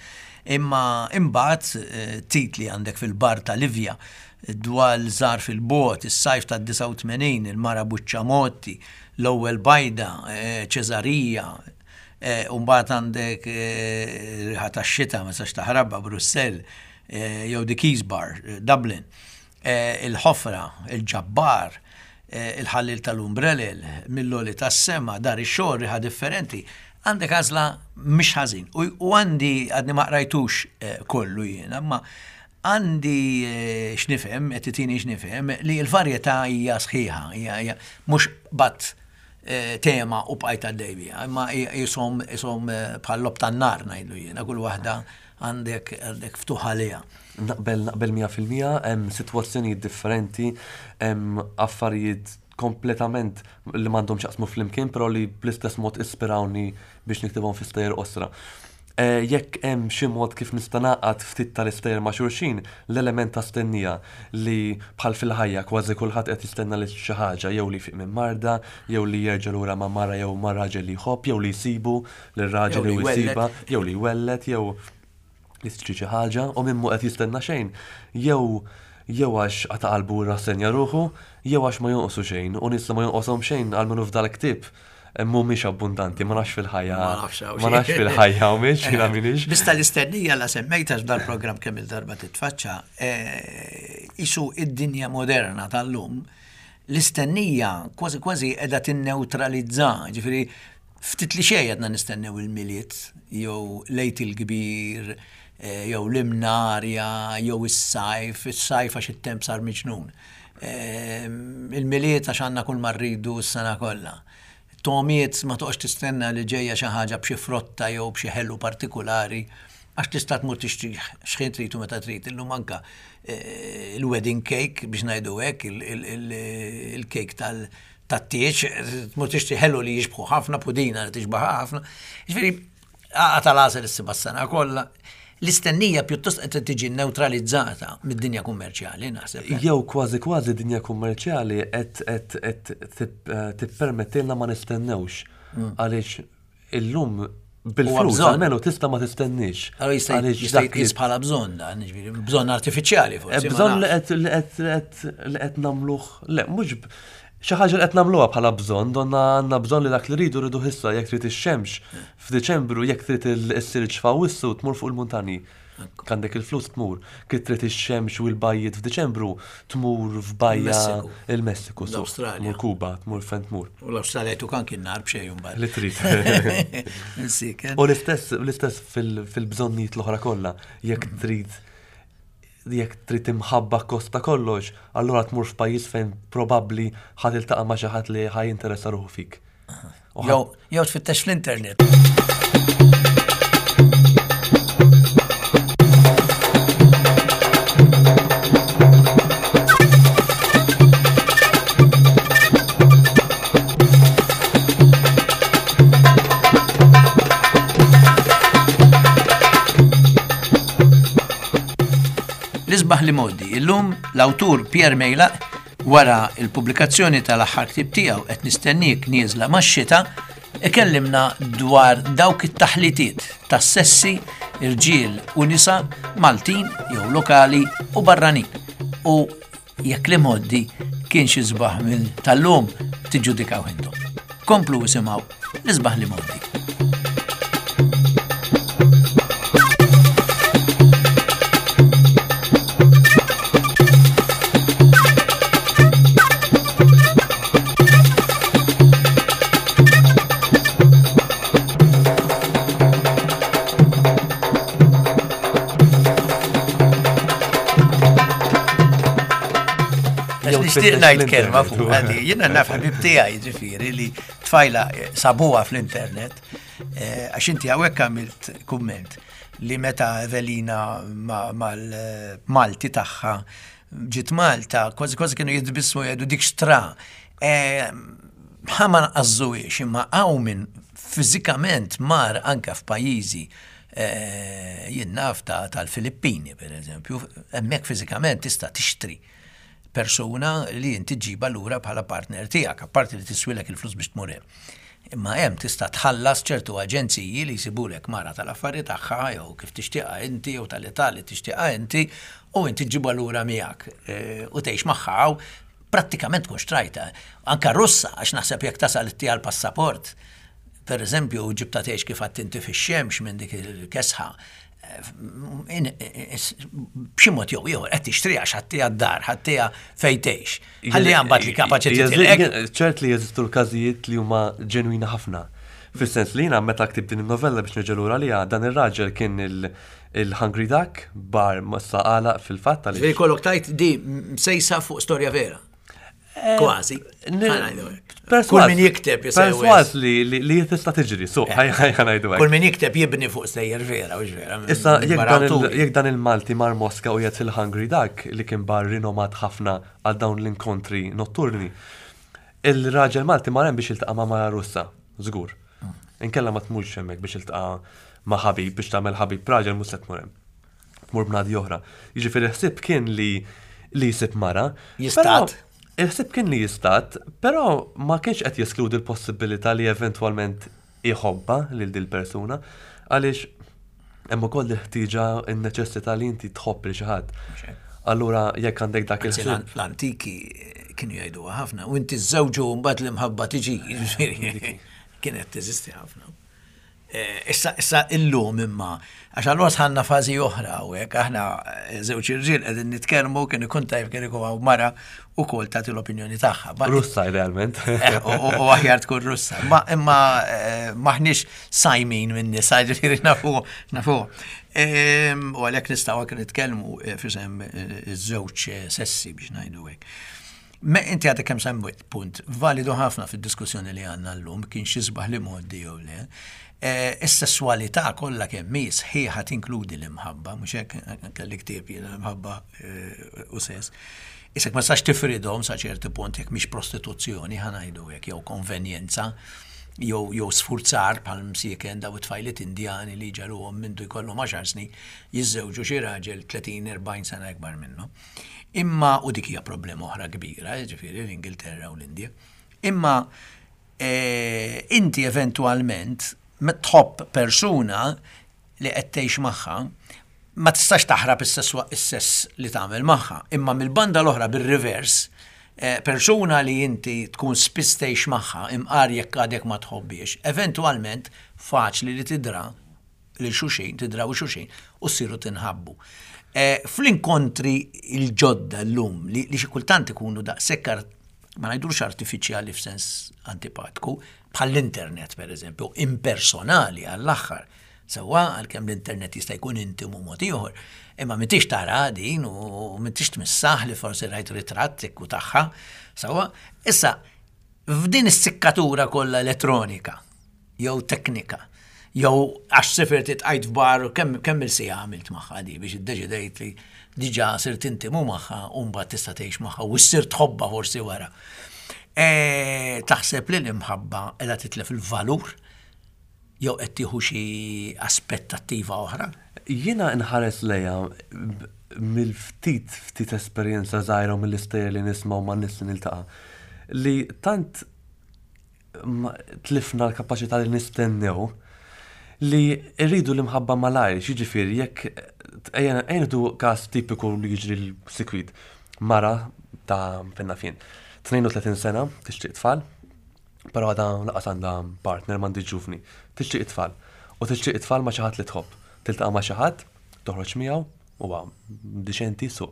Imma imbagħad eh, titli għandek fil-bar ta' Livja, dwal żgħar fil-bot, is-sajf tad-disgħa u tmenin, il-mara Buċċamotti, l-ewwel bajda, eh, Ċesarija, eh, u mbagħad għandek riħa tax-xita ma sax taħrabha Brussell, jew The Keys Bar, Dublin, il-ħofra, il-ġabbar, il-ħallil tal-umbrellel, mill-oli tas-sema, dar ix-xogħol, riħa differenti. Għandek għażla mhix ħażin. U għandi għadni ma qrajtux kollu jiena, imma għandi x'nifhem, qed titini x'nifhem, li l-varjetà hija sħiħa, hija mhux bat tema u bqajt għaddej biha, imma jisom jisom bħal lob tan-nar ngħidlu jiena, kull waħda għandek għandek ftuħ għaliha. Naqbel, naqbel mija fil-mija, hemm sitwazzjonijiet differenti, hemm affarijiet kompletament li m'għandhom x'jaqsmu flimkien, però li bl-istess mod ispirawni biex niktibhom fi stejjer qosra. Jekk hemm xi mod kif nista' naqgħad ftit tal-istejjer ma' xulxin, l-element ta' stennija li bħal fil-ħajja kważi kulħadd qed jistenna li xi ħaġa, jew li jfiq minn marda, jew li jerġa' lura ma' mara jew ma' raġel li jħobb, jew li jsibu lir-raġel jew jsiba, jew li jwelled, jew jixtri xi ħaġa, u min mhu qed jistenna xejn, jew jew għax qata' qalbu rassenja ruħu, jew għax ma jonqsu xejn, u nies li ma jonqoshom xejn għalmenu f'dal-ktieb mhumiex abbundanti, ma nafx fil-ħajja. Ma nafx hawn Ma nafx xejn. fil-ħajja hawnx, jiena m'iniex. Biss tal-istennija la semmejta f'dal-programm kemm il-darba titfaċċa, isu id-dinja moderna tal-lum, l-istennija kważi kważi qiegħda tinneutralizza, ġifieri ftit li xejn għadna nistennew il-Milied, jew lejt il-kbir, jew l-imnarja, jew is-sajf, is-sajf għax it-temp sar miġnun. Il-Milied għax għandna kull ma rridu s-sena kollha. Tomiet ma toqgħodx tistenna li ġejja xi ħaġa b'xi frotta jew b'xi ħelu partikolari, għax tista' tmur tixtri x'ħin trid u meta trid. Illum anka il-wedding cake biex ngħidu hekk, il-cake tat-tieġ, tmur tixtri ħelu li jixbħu ħafna, pudina li tixbaħ ħafna. Ġifieri għaqa tal-għasel issibha s-sena kollha. L-istennija pjuttost qed tiġi neutralizzata mid-dinja kummerċjali, naħseb. Jew kważi kważi dinja kummerċjali qed qed qed tippermettilna ma nistennewx. Għaliex illum bil-flus almenu tista' ma tistenniex. Allora jista' jista' jitqies bħala bżonn dan, jiġifieri bżonn artifiċjali forsi. Bżonn li qed li qed li qed nagħmluh, le mhux xi ħaġa li qed nagħmluha bħala bżonn, donna għandna bżonn li dak li rridu rridu issa, jekk trid ix-xemx f'Diċembru, jekk trid is-silġ f'Awwissu tmur fuq il-muntanji. Għandek il-flus tmur. Kif trid ix-xemx u l-bajjiet f'Diċembru tmur f'bajja il-Messiku, tmur Kuba, tmur fejn tmur. U l-Awstralja jtuk anki n-nar b'xejn imbagħad. Li trid. U l-istess l-istess fil-bżonnijiet l-oħra kollha, jekk trid jekk trid imħabba kosta kollox, allura tmur f'pajjiż fejn probabbli ħa tiltaqa' ma' xi ħadd li ħa jinteressa ruħu fik. Jew jew tfittex fl-internet. L-isbaħ li modi, illum l-awtur Pierre Meilaq wara il-pubblikazzjoni tal-aħħar ktieb tiegħu qed nistennik nieżla max-xita, ikellimna dwar dawk it-taħlitiet tas-sessi, irġiel u nisa Maltin jew lokali u barranin. U jekk li modi kien xi sbaħ minn tal-lum tiġġudikaw intom. Komplu isimgħu l-isbaħ li modi. Nixtieq ngħid kelma fuq għadi. Jiena naf ħabib tiegħi ġifieri li tfajla sabuha fl-internet Eh, għax inti hawnhekk għamilt kumment li meta Evelina mal-Malti tagħha ġiet Malta, kważi kważi kienu jitbissmu, jgħidu dik xtra. Eh, ħa ma nqażżuhiex, imma hawn min fiżikament mar anka f'pajjiżi, eh, jien naf tal-Filippini, per eżempju, hemmhekk fiżikament tista' tixtri persuna li inti ġġibha lura bħala partner tiegħek, apparti li tiswilek il-flus biex tmur hemm. Imma hemm tista' tħallas ċertu aġenziji li jsibulek mara tal-affari tagħha jew kif tixtieqha inti jew tal-età li tixtieqha inti u inti ġġibha lura miegħek eh, u tgħix magħha, prattikament tkun xtrajtha. Anka Russa, għax naħseb jekk tasal ittiha l-passaport, per eżempju, ġibtha tgħix kif għedt inti fix-xemx minn dik il-kesħa, b'xi mod jew ieħor qed tixtri għax ħadtiha d-dar, ħadtiha fejn tgħix. Ħalli mbagħad li kapaċi titilqek. Ċert li jeżistu l-każijiet li huma ġenwina ħafna. Fis-sens li jiena meta ktibt din in-novella, biex nerġa' lura liha, dan ir-raġel kien il-Hungry Duck, bar massa għala fil-fatt. Ġifieri kollok tajt di msejsa fuq storja vera. Kważi. Kull min jikteb. Perswas li li tista' tiġri, so ħa ngħidu. Kull min jikteb jibni fuq stejjer vera, u vera. Issa jekk dan il-Malti mar Moska u jgħid fil-Hungry Duck, li kien bar rinomat ħafna għal dawn l-inkontri notturni, il-raġel Malti mar hemm biex jiltaqa' ma' mara Russa, żgur. Inkella ma tmurx hemmhekk biex jiltaqa' ma' ħabib, biex tagħmel ħabib raġel mhux se tmur hemm. Tmur bnadi oħra. Jiġifieri ħsieb kien li li jsib mara. Jistad. Il-ħsieb kien li jistad, però ma kienx qed jeskludi l-possibilità li eventwalment iħobbha lil dil persuna, għaliex hemm ukoll il-ħtieġa, in-neċessità li inti tħobb lil xi ħadd. Allura jekk għandek dak il L-antiki kienu jgħidu ħafna, u inti żewġu, mbagħad l-imħabba tiġi, kienet teżisti ħafna. Eh, issa, issa illum imma, għax allura sħanna fażi oħra u hekk, aħna eh, żewġ irġiel qegħdin nitkellmu, kien ikun tajb kien ikun hawn mara ukoll tagħti l-opinjoni tagħha. Russa idealment. Eh, u aħjar tkun Russa. Ma imma maħniex sajmin minn nisa, ġifieri nafu, nafu. U għalhekk nistgħu anke nitkellmu f'isem iż-żewġ sessi, biex ngħidu hekk. Me inti għadek kemm semmejt punt validu ħafna fid-diskussjoni li għandna llum, kien xi sbaħ li modi jew le. Eh, is-sessualità kollha kemm hi sħiħa tinkludi l-imħabba, mhux hekk? Kelli ktieb jiena, l-imħabba eh, u sess. Isek ma sax tifridhom sa ċerti punt jekk mhix prostituzzjoni, ħa ngħidu hekk, jew konvenjenza jew jew sfurzar bħal msieken daw it-tfajliet Indjani li ġaluhom mindu jkollhom għaxar snin jiżżewġu xi raġel tletin erbgħin sena ikbar minnu. Imma u dik hija problema oħra kbira, ġifieri l-Ingilterra u l-Indja. Imma eh, inti eventualment tħobb persuna li qed tgħix magħha, ma tistax taħrab is-sess li tagħmel magħha. Imma mill-banda l-oħra, bir-reverse, eh, persuna li inti tkun spiss tgħix magħha, imqar jekk għadek ma tħobbiex, eventwalment faċli li tidra li xulxin, tidraw xulxin u ssiru tinħabbu. Eh, fl-inkontri il-ġodda l-lum li, li xi kultant ikunu daqshekk, ma ngħidux artifiċjali f'sens antipatku, bħall-internet per eżempju, impersonali għall-aħħar. Sewwa, għalkemm l-internet jista' jkun intimu mod ieħor, imma m'intix tara din u m'intix tmissaħ li forsi rajt ritratt u tagħha. Sewwa, issa f'din is-sikkatura kollha elettronika jew teknika, jew għax sifirt tqajt f'bar, kemm kemm il-siegħa għamilt magħha di biex iddeċidejt li diġà sirt intimu magħha u mbagħad tista' tgħix magħha u ssir tħobbha forsi wara. E, taħseb li l-imħabba qiegħda titlef il-valur jew qed tieħu xi aspettattiva oħra? Jiena nħares lejha mill-ftit ftit esperjenza żgħira u mill-istejjer li nisma' u man-nies li niltaqa' li tant tlifna l-kapaċità li nistennew, li rridu l-imħabba malajr. Jiġifieri jekk ejja nieħdu każ tipiku li jiġri l-sikwit. Mara ta' finna fin. tnejn u tletin sena, tixtieq tfal, però għadha lanqas għandha partner, m'għandhiex ġuvni. Tixtieq tfal. U tixtieq tfal ma' xi ħadd li tħobb. Tiltaqa' ma' xi ħadd, toħroġ miegħu, huwa diċenti su.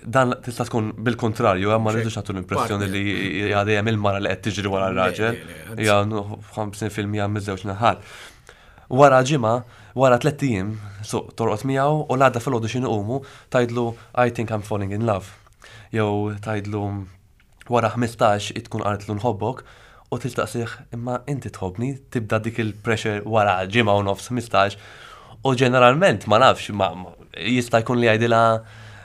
Dan tista' tkun bil-kontrarju, ma rridux nagħtu l-impressjoni li hija dejjem il-mara li qed tiġri wara r-raġel. Hija ħamsin fil-mija miż-żewġ naħat. Wara ġimgħa, wara tliet ijiem, so torqod miegħu u l-għada filgħodu xi nqumu tgħidlu, "I think I'm falling in love." Jew tgħidlu wara ħmistax tkun qaltlu "nħobbok" U tistaqsih, imma inti tħobbni, tibda dik il-pressure wara ġimgħa u nofs, ħmistax. U ġeneralment ma nafx, ma ma- jista' jkun li jgħidilha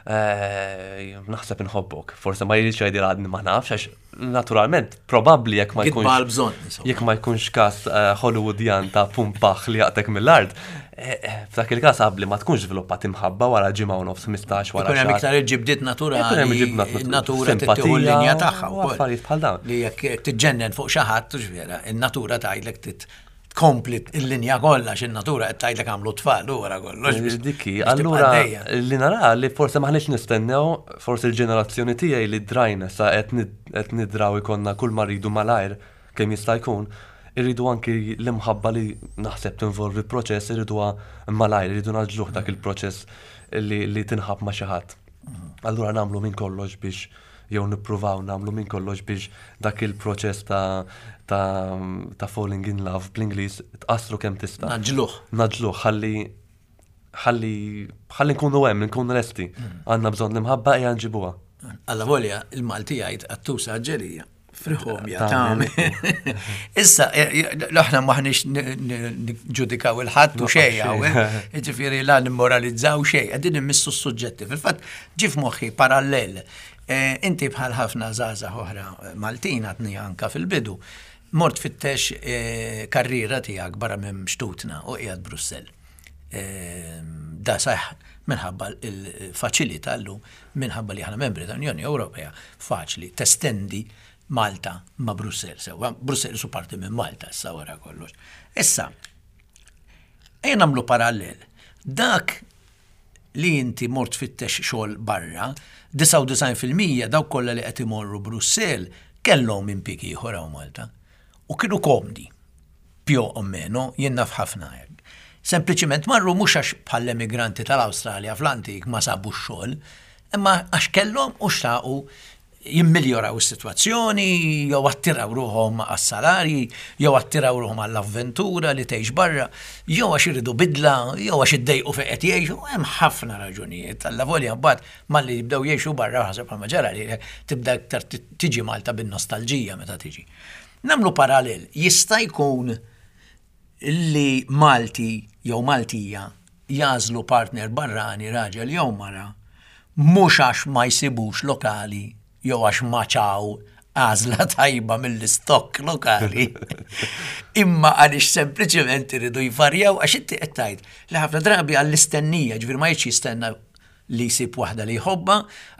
eh, naħseb inħobbok. Forse ma jridx jgħidilha għadni ma nafx, għax naturalment, probabbli jekk ma Gidba jkunx għal-bżonn, insomma. Jekk ma jkunx każ eh, Hollywoodian ta' pumpaħ li jaqtek mill-art, eh, eh, f'dak il-każ qabli ma tkunx żviluppat imħabba wara ġimgħa u nofs, ħmistax wara Ikun hemm xahar. iktar il-ġibdiet naturali, Ikun hemm il-ġibdiet natu- natura simpatija tittieħu l-linja tagħha u wkoll. affarijiet bħal dawn. Li jekk tiġġennen fuq xi ħadd, hux vera, in-natura tgħidlek tit tkompli il-linja kollha x'in-natura qed tgħidlek għamlu tfal u wara kollox. biex- Dikki, biex tibqa' allura għaddejja. li nara li forse maħniex nistennew, forse il-ġenerazzjoni tiegħi li drajna sa qed nid- qed nidraw ikollna kull ma rridu malajr kemm jista' jkun, irridu anki l-imħabba li naħseb tinvolvi proċess, irriduha malajr, irridu ngħaġġluh dak il-proċess li, li tinħab ma' xi ħadd. Allura nagħmlu minn kollox biex jew nippruvaw nagħmlu minn kollox biex dak il-proċess ta' ta' ta' falling in love bl-Ingliż tqassru kemm tista'. Ngħaġġluh. Ngħaġġluh ħalli ħalli ħalli nkunu hemm, nkunu lesti. Għandna bżonn l-imħabba, ejja nġibuha. Alla volja il-Malti jgħid qattusa ġerija. Friħom ja Tagħmel. tagħmel. Issa, eh, aħna maħniex ġudikaw il-ħadd u xejn hawn, ġifieri la nimmoralizzaw xejn, qegħdin immissu s-suġġetti. Fil-fatt ġie f'moħħi parallel. Eh, Inti bħal ħafna żgħażagħ oħra Maltin għadni anka fil-bidu, mort fittex eh, karriera tiegħek barra minn xtutna u qiegħed Brussell. Eh, Da saħ minħabba il-faċilità llum, minħabba li aħna membri tal-Unjoni Ewropea, faċli testendi Malta ma' Brussell. Sewwa, Brussell su parti minn Malta issa wara kollox. Issa, ejja nagħmlu parallel. Dak li inti mort fittex xogħol barra, disgħa u disgħin fil-mija dawk kollha li qed imorru Brussell kellhom impjieg ieħor hawn Malta. U kienu komdi, più o meno, jien naf ħafna hekk. Sempliċiment marru mhux għax bħall-emigranti tal-Awstralja fl-antik ma sabu xogħol, imma għax kellhom u xtaqu jimmiljoraw is-sitwazzjoni, jew attiraw ruħhom għas-salarji, jew attiraw ruħhom għall-avventura li tgħix barra, jew għax iridu bidla, jew għax iddejqu fejn qed jgħixu, hemm ħafna raġunijiet. Alla volja mbagħad malli jibdew jgħixu barra ħaseb bħalma ġara li tibda iktar tiġi Malta bin-nostalġija meta tiġi. Nagħmlu parallel, jista' jkun li Malti jew Maltija jagħżlu partner barrani, raġel jew mara, mhux għax ma jsibux lokali jew għax maċaw għażla tajba mill-istokk lokali. Imma għaliex sempliċement iridu jvarjaw, għax inti qed tgħid li ħafna drabi għall-istennija, ġifier ma jridx jistenna li jsib waħda li jħobba,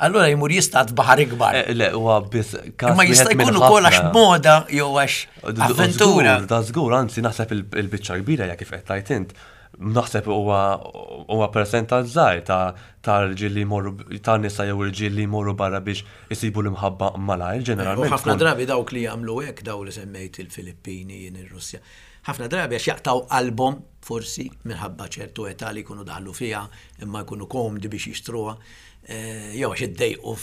allura jmur jistad baħar ikbar. Eh, Le, huwa biss każ Imma jista' wieħed minn jkun ukoll għax ħafna. moda jew għax avventura. Żgur, da żgur, anzi naħseb il- il-biċċa kbira hija kif qed tgħid int. Naħseb huwa huwa percentaġġ żgħir ta' ta' rġiel li jmorru ta' nisa jew irġiel li jmorru barra biex isibu l-imħabba malajr, U ġeneralment. ħafna tkun- drabi dawk li jagħmlu hekk, daw li semmejt il-Filippini, jien ir-Russja. Ħafna drabi għax jaqtaw qalbhom forsi minħabba ċertu età li jkunu daħlu fiha imma jkunu komdi biex jixtruha, eh, jew għax iddejqu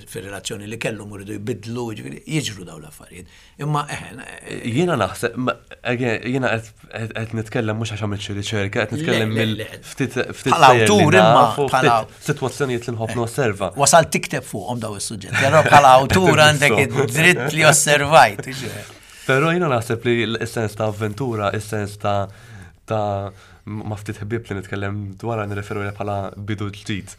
fir-relazzjoni li kellhom u jridu jbidlu, ġifieri jiġru daw l-affarijiet. Imma eħen, eh, Jiena naħseb, ma- again, jiena qed qed nitkellem mhux għax għamilt xi riċerka, qed nitkellem Le, le, mill le. ftit ftit Bħala sejjer li awtur imma, naf u bħala- ftit sitwazzjonijiet li nħobb nosserva. Wasal tikteb fuqhom daw is-suġġetti, però bħala awtur għandek id-dritt li osservajt. Però jiena naħseb li l-sens ta' avventura, is-sens ta' ta' ma ftit ħbieb li nitkellem dwar nirreferu li bħala bidu ġdid.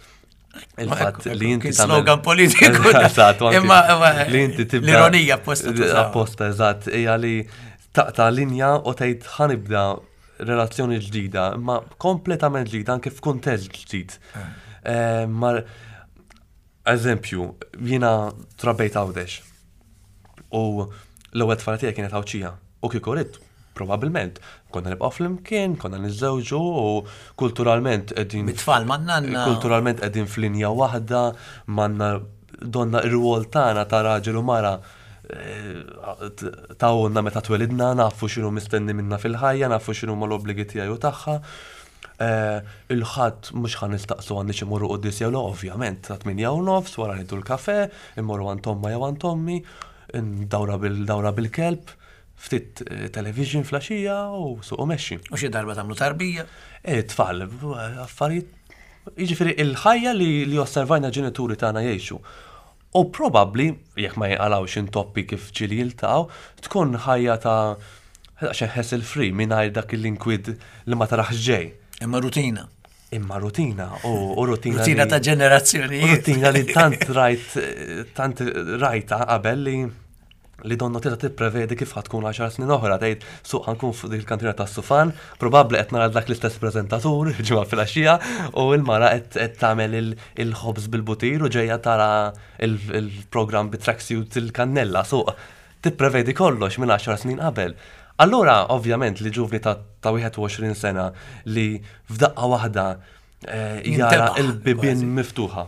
Il-fatt li inti Kien tagħmel- slogan politiku. Eżatt, u anki Imma imma li inti tibda l-ironija apposta tużaw. Apposta, eżatt, hija li taqta' linja u tgħid ħa nibda relazzjoni ġdida, imma kompletament ġdida anke f'kuntest ġdid. Eh, Mar eżempju, jiena trabbejt Għawdex. U l-ewwel tfajla tiegħi kienet Għawdxija. U kieku ridt, probabbilment, konna nibqgħu flimkien, konna niżżewġu u kulturalment qegħdin Bit-tfal man-nanna. Kulturalment qegħdin f'linja waħda, manna donna ir-rwol tagħna ta' raġel u mara eh, tawna meta twelidna, nafu x'inhu mistenni minna fil-ħajja, nafu x'inhu ma l-obbligi tiegħi u tagħha. Eh, Il-ħadd mhux ħa nistaqsu għandi xi mmorru quddies jew le, ovvjament, ta' tmienja u nofs, wara nieħdu l-kafe, immorru għand omma jew għand ommi, dawra bil-dawra bil-kelb, ftit eh, television filgħaxija u suq u mexxi. U xi darba tagħmlu tarbija. E, tfal, affarijiet, jiġifieri il-ħajja li, li osservajna ġenituri tagħna jgħixu. U probabbli, jekk ma jinqalgħux intoppi kif ġieli jiltaqgħu, tkun ħajja ta' xejn hassle free mingħajr dak l-inkwiet li ma tarax ġej. Imma rutina. Imma rutina u, u rutina. Rutina li- ta' ġenerazzjonijiet. Rutina li tant rajt, tant rajta qabel li li donnu tista' tipprevedi kif ħa tkun għaxar snin oħra, tgħid suq ħa nkun fuq dik il-kantina tas-sufan, probabbli qed nara dak l-istess preżentatur ġimgħa filgħaxija u l-mara qed qed tagħmel il- il-ħobż bil-butir u ġejja tara il- il-programm bi tracksuit il-kannella suq. Tipprevedi kollox minn għaxar snin qabel. Allura, ovvjament, li ġuvni ta' ta' wieħed u għoxrin sena li f'daqqa waħda eh, jara Jintebaħ, il-bibien kważi. miftuħa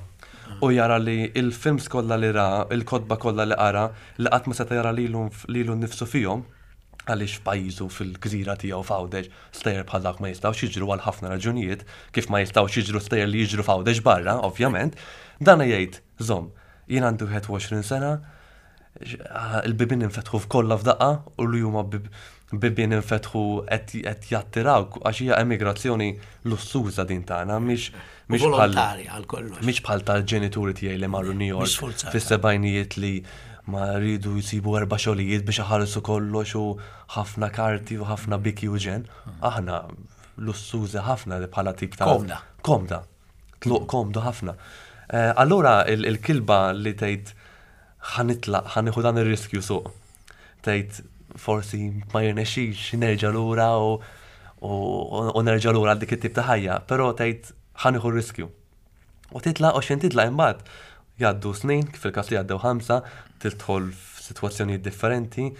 u jara li il-films kollha li ra, il-kotba kollha li qara, li qatt ma seta' jara lilu lilu nnifsu fihom, għaliex f'pajjiżu, fil-gżira tiegħu f'Għawdex, stejjer bħal dak ma jistgħux jiġru għal ħafna raġunijiet, kif ma jistgħux jiġru stejjer li jiġru f'Għawdex barra, ovvjament, dan jgħid, "Żomm, jien għandi wieħed u għoxrin sena, ah, il-bibien infetħu f'kollha f'daqqa u li huma bib- bibien infetħu qed qed jattiraw għax hija emigrazzjoni lussuża din tagħna, mhix mhix bħal Volontarja għal kollox. mhix bħal tal-ġenituri tiegħi li marru New Mhix York sforzata. fis-sebgħinijiet li ma rridu jsibu erba' xogħlijiet biex iħallsu kollox u ħafna karti u ħafna biki u ġen. Aħna lussużi ħafna li bħala tip ta' Komda. Komda. Tluq komdu ħafna. Eh, Allura il- il-kilba li tgħid ħa nitlaq, ħa nieħu dan ir-riskju suq. Tgħid forsi ma jirnexxix nerġa' lura u u u nerġa' lura għal dik it-tip ta' ħajja, però tgħid ħa nieħu r-riskju. U titlaq u xejn titlaq imbagħad jgħaddu snin, kif il-każ li għaddew ħamsa, tidħol f'sitwazzjonijiet differenti,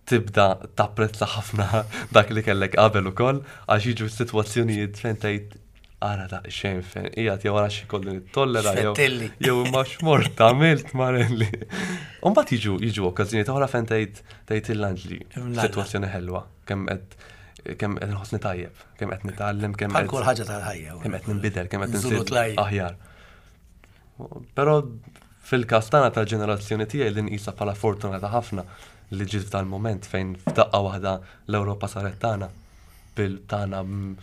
tibda tapprezza ħafna dak li kellek qabel ukoll, għax jiġu sitwazzjonijiet fejn tgħid ara daqsxejn fejn qiegħed jew ara xi kollu nittollera jew X'fettilli. jew imma x'mort għamilt Marelli. U mbagħad jiġu jiġu okkażjonijiet oħra fejn tgħid tgħid il-Anġli, Imlalla. sitwazzjoni ħelwa, kemm qed kemm qed nħossni tajjeb, kemm qed nitgħallem, kemm Bħal qed kull ħaġa tal-ħajja. kemm qed ninbidel, kemm qed Nżulu insir tlajja. aħjar. Però fil-każ tagħna tal-ġenerazzjoni tiegħi li nqisha bħala fortunata ħafna li ġiet f'dan moment fejn f'daqqa waħda l-Ewropa saret tagħna bil tagħna mm,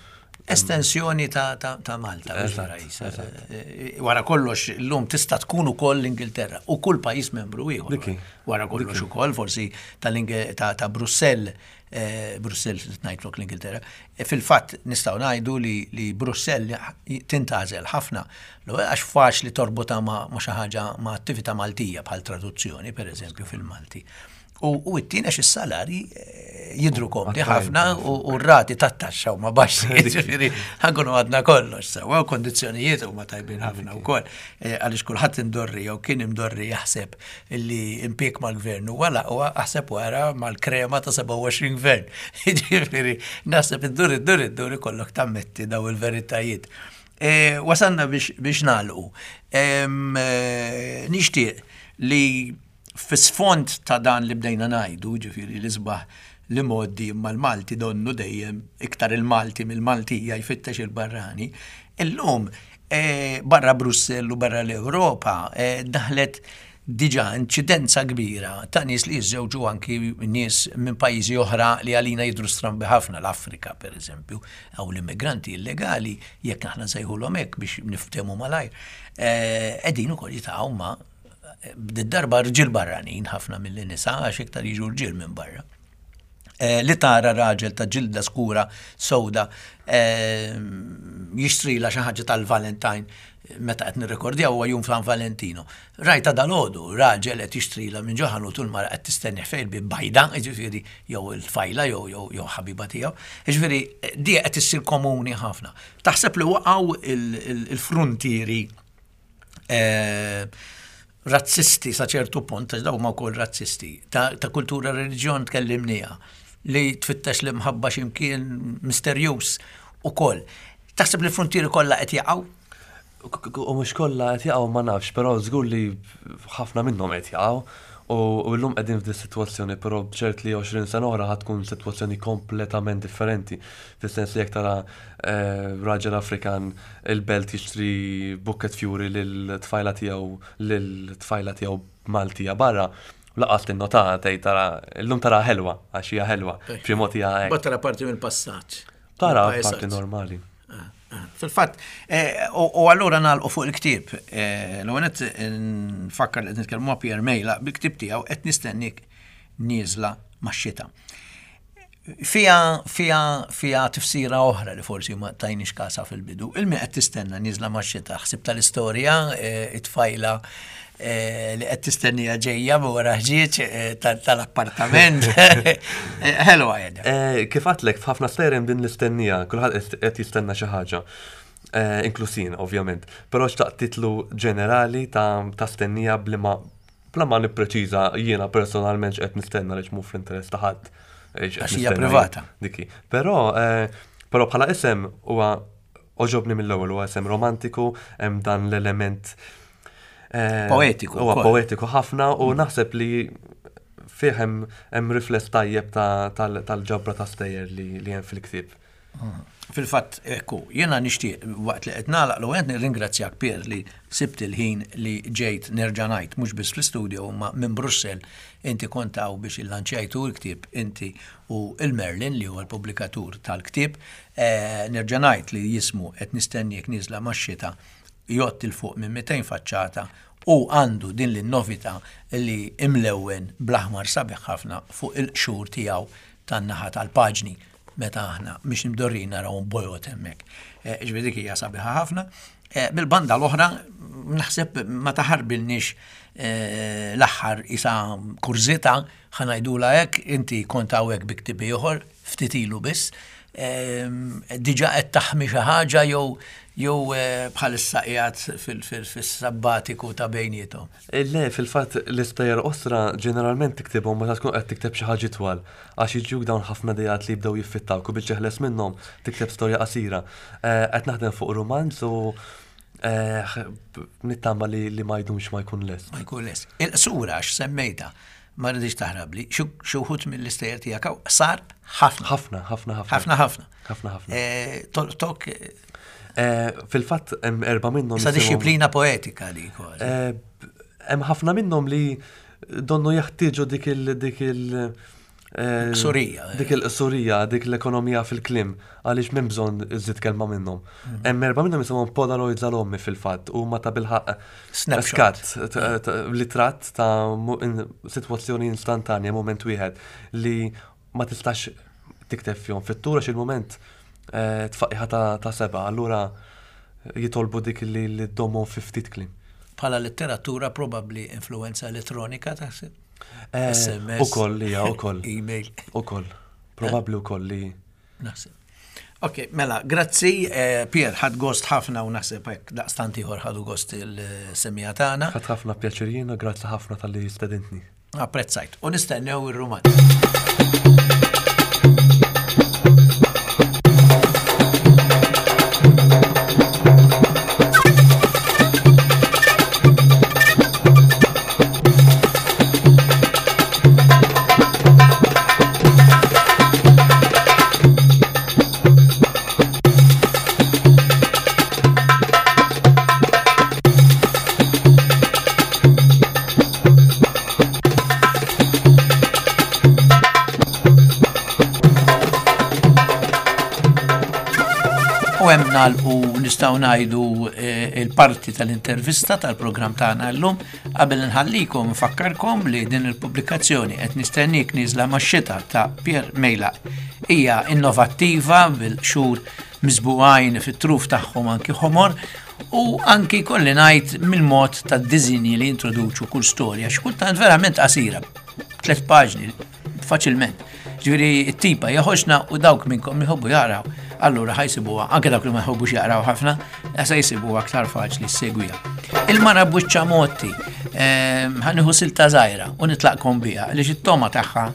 Estensjoni ta', ta, ta' Malta. mhux Eżatt, vera jisa. eżatt. Eh, Wara kollox, illum tista' tkun ukoll l-Ingilterra u kull pajjiż membru ieħor. Diki. Wara kollox ukoll, forsi tal-Inge- ta', ta' Brussell, eh, Brussell ngħidlok l-Ingilterra, eh, fil-fatt nistgħu ngħidu li, li Brussell tintgħażel ħafna. L-ewwel għax faċli torbota ma', ma' xi ħaġa ma' attività Maltija bħal traduzzjoni, per eżempju, fil-Malti. U, u t-tieni għax is-salari eh, jidru komdi ħafna u, u r-rati tat-taxxa huma baxxi, ġifieri ħa nkunu għadna kollox sewwa u kondizzjonijiet huma tajbin ħafna wkoll. Eh, Għaliex kulħadd imdorri jew kien imdorri jaħseb illi impjieg mal-gvern huwa l-aqwa, aħseb wara mal-krema ta' sebgħa u għoxrin gvern. Ġifieri naħseb iddur iddur iddur ikollok tammetti daw il-veritajiet. Eh, Wasanna biex, biex nagħlqu. Em, eh, Nixtieq li fis-sfond ta' dan li bdejna ngħidu, ġifieri l-isbaħ li modi imma l-Malti donnu dejjem iktar il-Malti mill-Maltija jfittex il-barrani, illum eh, barra Brussell u barra l-Ewropa eh, daħlet diġà inċidenza kbira ta' nies li jiżżewġu anki nies minn pajjiżi oħra li għalina jidru strambi ħafna, l-Afrika per eżempju, aw l-immigranti illegali, jekk aħna nsejħulhom hekk biex niftehmu malajr, eh, qegħdin ukoll jitaqgħu ma' darba rġiel barranin ħafna mill-nisa għax iktar jiġu rġiel minn barra. Eh, li tara raġel ta' ġilda skura sewda eh, jixtrila xi ħaġa tal-Valentine meta qed nirrekordjaw huwa jum San Valentino. Rajta dalgħodu raġel qed jixtrila minn ġo ħanut u l-mara qed tistenni fejn bi bajda, jiġifieri jew il-tfajla jew jew jew ħabiba tiegħu. Jiġifieri di qed issir komuni ħafna. Taħseb li waqgħu il-frontieri eh, razzisti sa ċertu punt, għax daw ma wkoll razzisti, ta', ta' kultura reliġjon tkellimnija, li tfittex li mħabba x'imkien misterjuż ukoll. Taħseb li l-frontieri kollha qed jaqgħu? U mhux kollha qed jaqgħu ma nafx, però żgur li ħafna minnhom qed jaqgħu. U u llum qegħdin f'di sitwazzjoni, però ċert li għoxrin sena oħra ħa tkun sitwazzjoni kompletament differenti. Fis-sens li jekk tara eh, raġel Afrikan il-Belt jixtri bukket fjuri lil-tfajla tiegħu lil-tfajla tiegħu Maltija barra, lanqas tinnota, tgħid tara illum tara ħelwa għax hija ħelwa. B'xi mod hija hekk. Tara parti mill-passaġġ. Tara Mill-pajsaġġ. parti normali. Ah. Fil-fatt, eh, u allura nagħlqu fuq il-ktieb. Eh, l-ewwel nfakkar li qed nitkellmu ma' Pierre Mejlaq bil-ktieb tiegħu Qed Nistenniek Nieżla max-Xita. Fija, fija, fija tifsira oħra li forsi ma tajniex kasa fil-bidu. Il-min qed tistenna nieżla max-xita, ħsib tal-istorja, eh, it-tfajla eh, li qed tistennija ġejja wara ħġieġ eh, tal-appartament. Hello għajda. Kif għedtlek, f'ħafna stejjer hemm din l-istennija, kulħadd qed jistenna xi ħaġa. Inkluż jien, ovvjament. Però xtaqt titlu ġenerali ta' stennija bli ma bla ma nippreċiża jiena personalment x'qed nistenna li mhu fl-interess ta' ħadd. Għax hija privata. Diki. Però eh, però bħala isem huwa għoġobni mill-ewwel, huwa isem romantiku, hemm dan l-element eh, poetiku. Huwa poetiku ħafna u mm. naħseb li fih hemm rifless tajjeb tal-ġabra ta' stejjer li hemm fil-ktieb. Mm. Fil-fatt, ekku, jiena nixtieq waqt li qed nagħlaq l qed nirringrazzjak Pier li sibt il-ħin li ġejt nerġa' ngħid mhux biss fl-istudio imma minn Brussell inti kont hawn biex illanċjajtu l-ktieb inti u il-Merlin li huwa l-pubblikatur tal-ktieb. Eh, nerġa' ngħid li jismu Qed Nistenniek Nieżla max-Xita, jgħodd 'il fuq minn mitejn faċċata u għandu din l-novità li imlewwen bl-aħmar sabiħ ħafna fuq il-qxur tiegħu tan-naħa tal-paġni meta aħna mhix imdorrin narawhom bojod hemmhekk. Eh, ġifieri dik hija sabiħa ħafna. Eh, bil-banda l-oħra naħseb ma taħarbilniex eh, l-aħħar isa kurżità ħa ngħidulha hekk, inti kont hawnhekk bi ktieb ieħor ftit ilu biss. Diġà qed taħmi xi ħaġa jew jew bħalissa qiegħed fis-sabbatiku ta' bejniethom? Le, fil-fatt l-istejjer qosra ġeneralment tiktibhom meta tkun qed tikteb xi ħaġa twal, għax jiġuk dawn ħafna ideat li jibdew jiffittawk u biex teħles minnhom tikteb storja qasira. Qed naħdem fuq rumanz u nittama li ma jdumx ma jkun lest. Ma jkun lest. Il-qsura għax semmejta, ma rridx taħrabli, xi wħud mill-istejjer tiegħek sar ħafna. Ħafna, ħafna, ħafna. Ħafna, ħafna. Ħafna, ħafna. Tolqtok. Fil-fatt hemm erba' minnhom. Sa disċiplina poetika li kważi. Hemm ħafna minnhom li donnu jeħtieġu dik il dik il Qsurija. Dik il-qsurija, dik l-ekonomija fil-kliem, għaliex m'hemm bżonn iżid kelma minnhom. Hemm erba' minnhom jisimhom Polaroids għal ommi fil-fatt, huma ta' bilħaq Snapshot. Skat, litratt ta' sitwazzjoni instantanja, mument wieħed li ma tistax tikteb fihom fit-tul għax il-mument tfaqqiħa ta' seba', allura jitolbu dik li ddommhom fi ftit kliem. Bħala letteratura probabbli influenza elettronika taħseb? S M S. Ukoll, hija, ukoll. Email. Ukoll. Probabbli ukoll li. Naħseb. Ok, mela, grazzi, Pier, ħadd gost ħafna u naħseb hekk daqstant ieħor ħadu gost il-semija tagħna. Ħadd ħafna pjaċir jiena, grazzi ħafna talli stedintni. Apprezzajt. U nistennew ir-rumanz. U nistgħu ngħidu il-parti tal-intervista tal-programm tagħna llum. Qabel nħallikom nfakkarkom li din il-pubblikazzjoni Qed Nistenniek Nieżla max-Xita ta' Pierre Mejlaq hija innovattiva bil-xhur miżbugħin fit-truf tagħhom anki ħomor u anki kolli ngħid mill-mod tad-diżinji li introduċu kull storja xi kultant verament qasira, tliet paġni faċilment. Ġifieri t-tipa hija ħoxna u dawk minnkom jħobbu jaqraw, allura ħajsibuha, anke dawk li ma jħobbux jaqraw ħafna, se jsibuha aktar faċli ssegwiha. Il-mara b'wiċċha motti, ħanieħu silta żgħira u nitlaqkom biha għaliex it-toma tagħha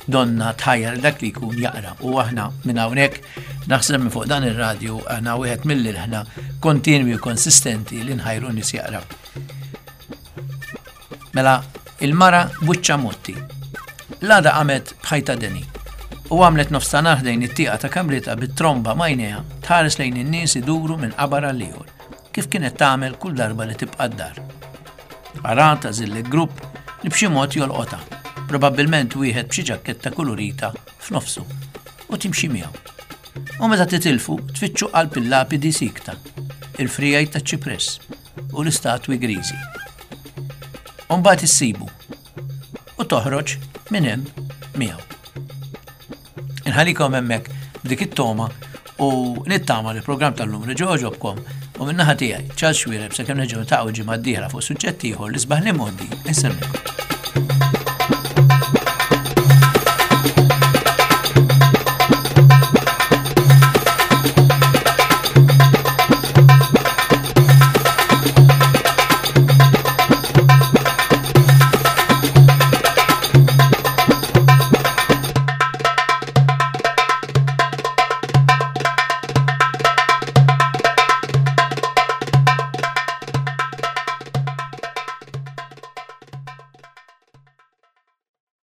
donna tħajjar dak li jkun jaqra u aħna minn hawnhekk naħseb minn fuq dan ir-radju aħna wieħed mill-ilħna kontinwi u konsistenti li nħajru nies jaqraw. Mela, il-mara b'wiċċha motti. L-għada qamet b'ħajta deni u għamlet nofstanhar ħdejn it-tieqa ta' kamritha bit-tromba m'għajnejha tħares lejn in-nies iduru minn qabar għal ieħor, kif kienet tagħmel kull darba li tibqa' d-dar. Arat għażillet grupp li b'xi mod jolqotha, probabbilment wieħed b'xi ġakketta kulurita f'nofsu, u timxi miegħu. U meta titilfu, tfittxu qalb il-lapidi sikta, il-frijaj ta' ċipress u l-istatwi griżi. U mbagħad issibu u toħroġ minn hemm miegħu. Inħallikom hemmhekk b'dik it-toma u nittama li l-programm tal-lum reġa' għoġobkom u min-naħa tiegħi Charles Xuereb sakemm nerġgħu niltaqgħu ġimgħa d-dieħla fuq suġġett ieħor l-isbaħ li modi insellmilkom.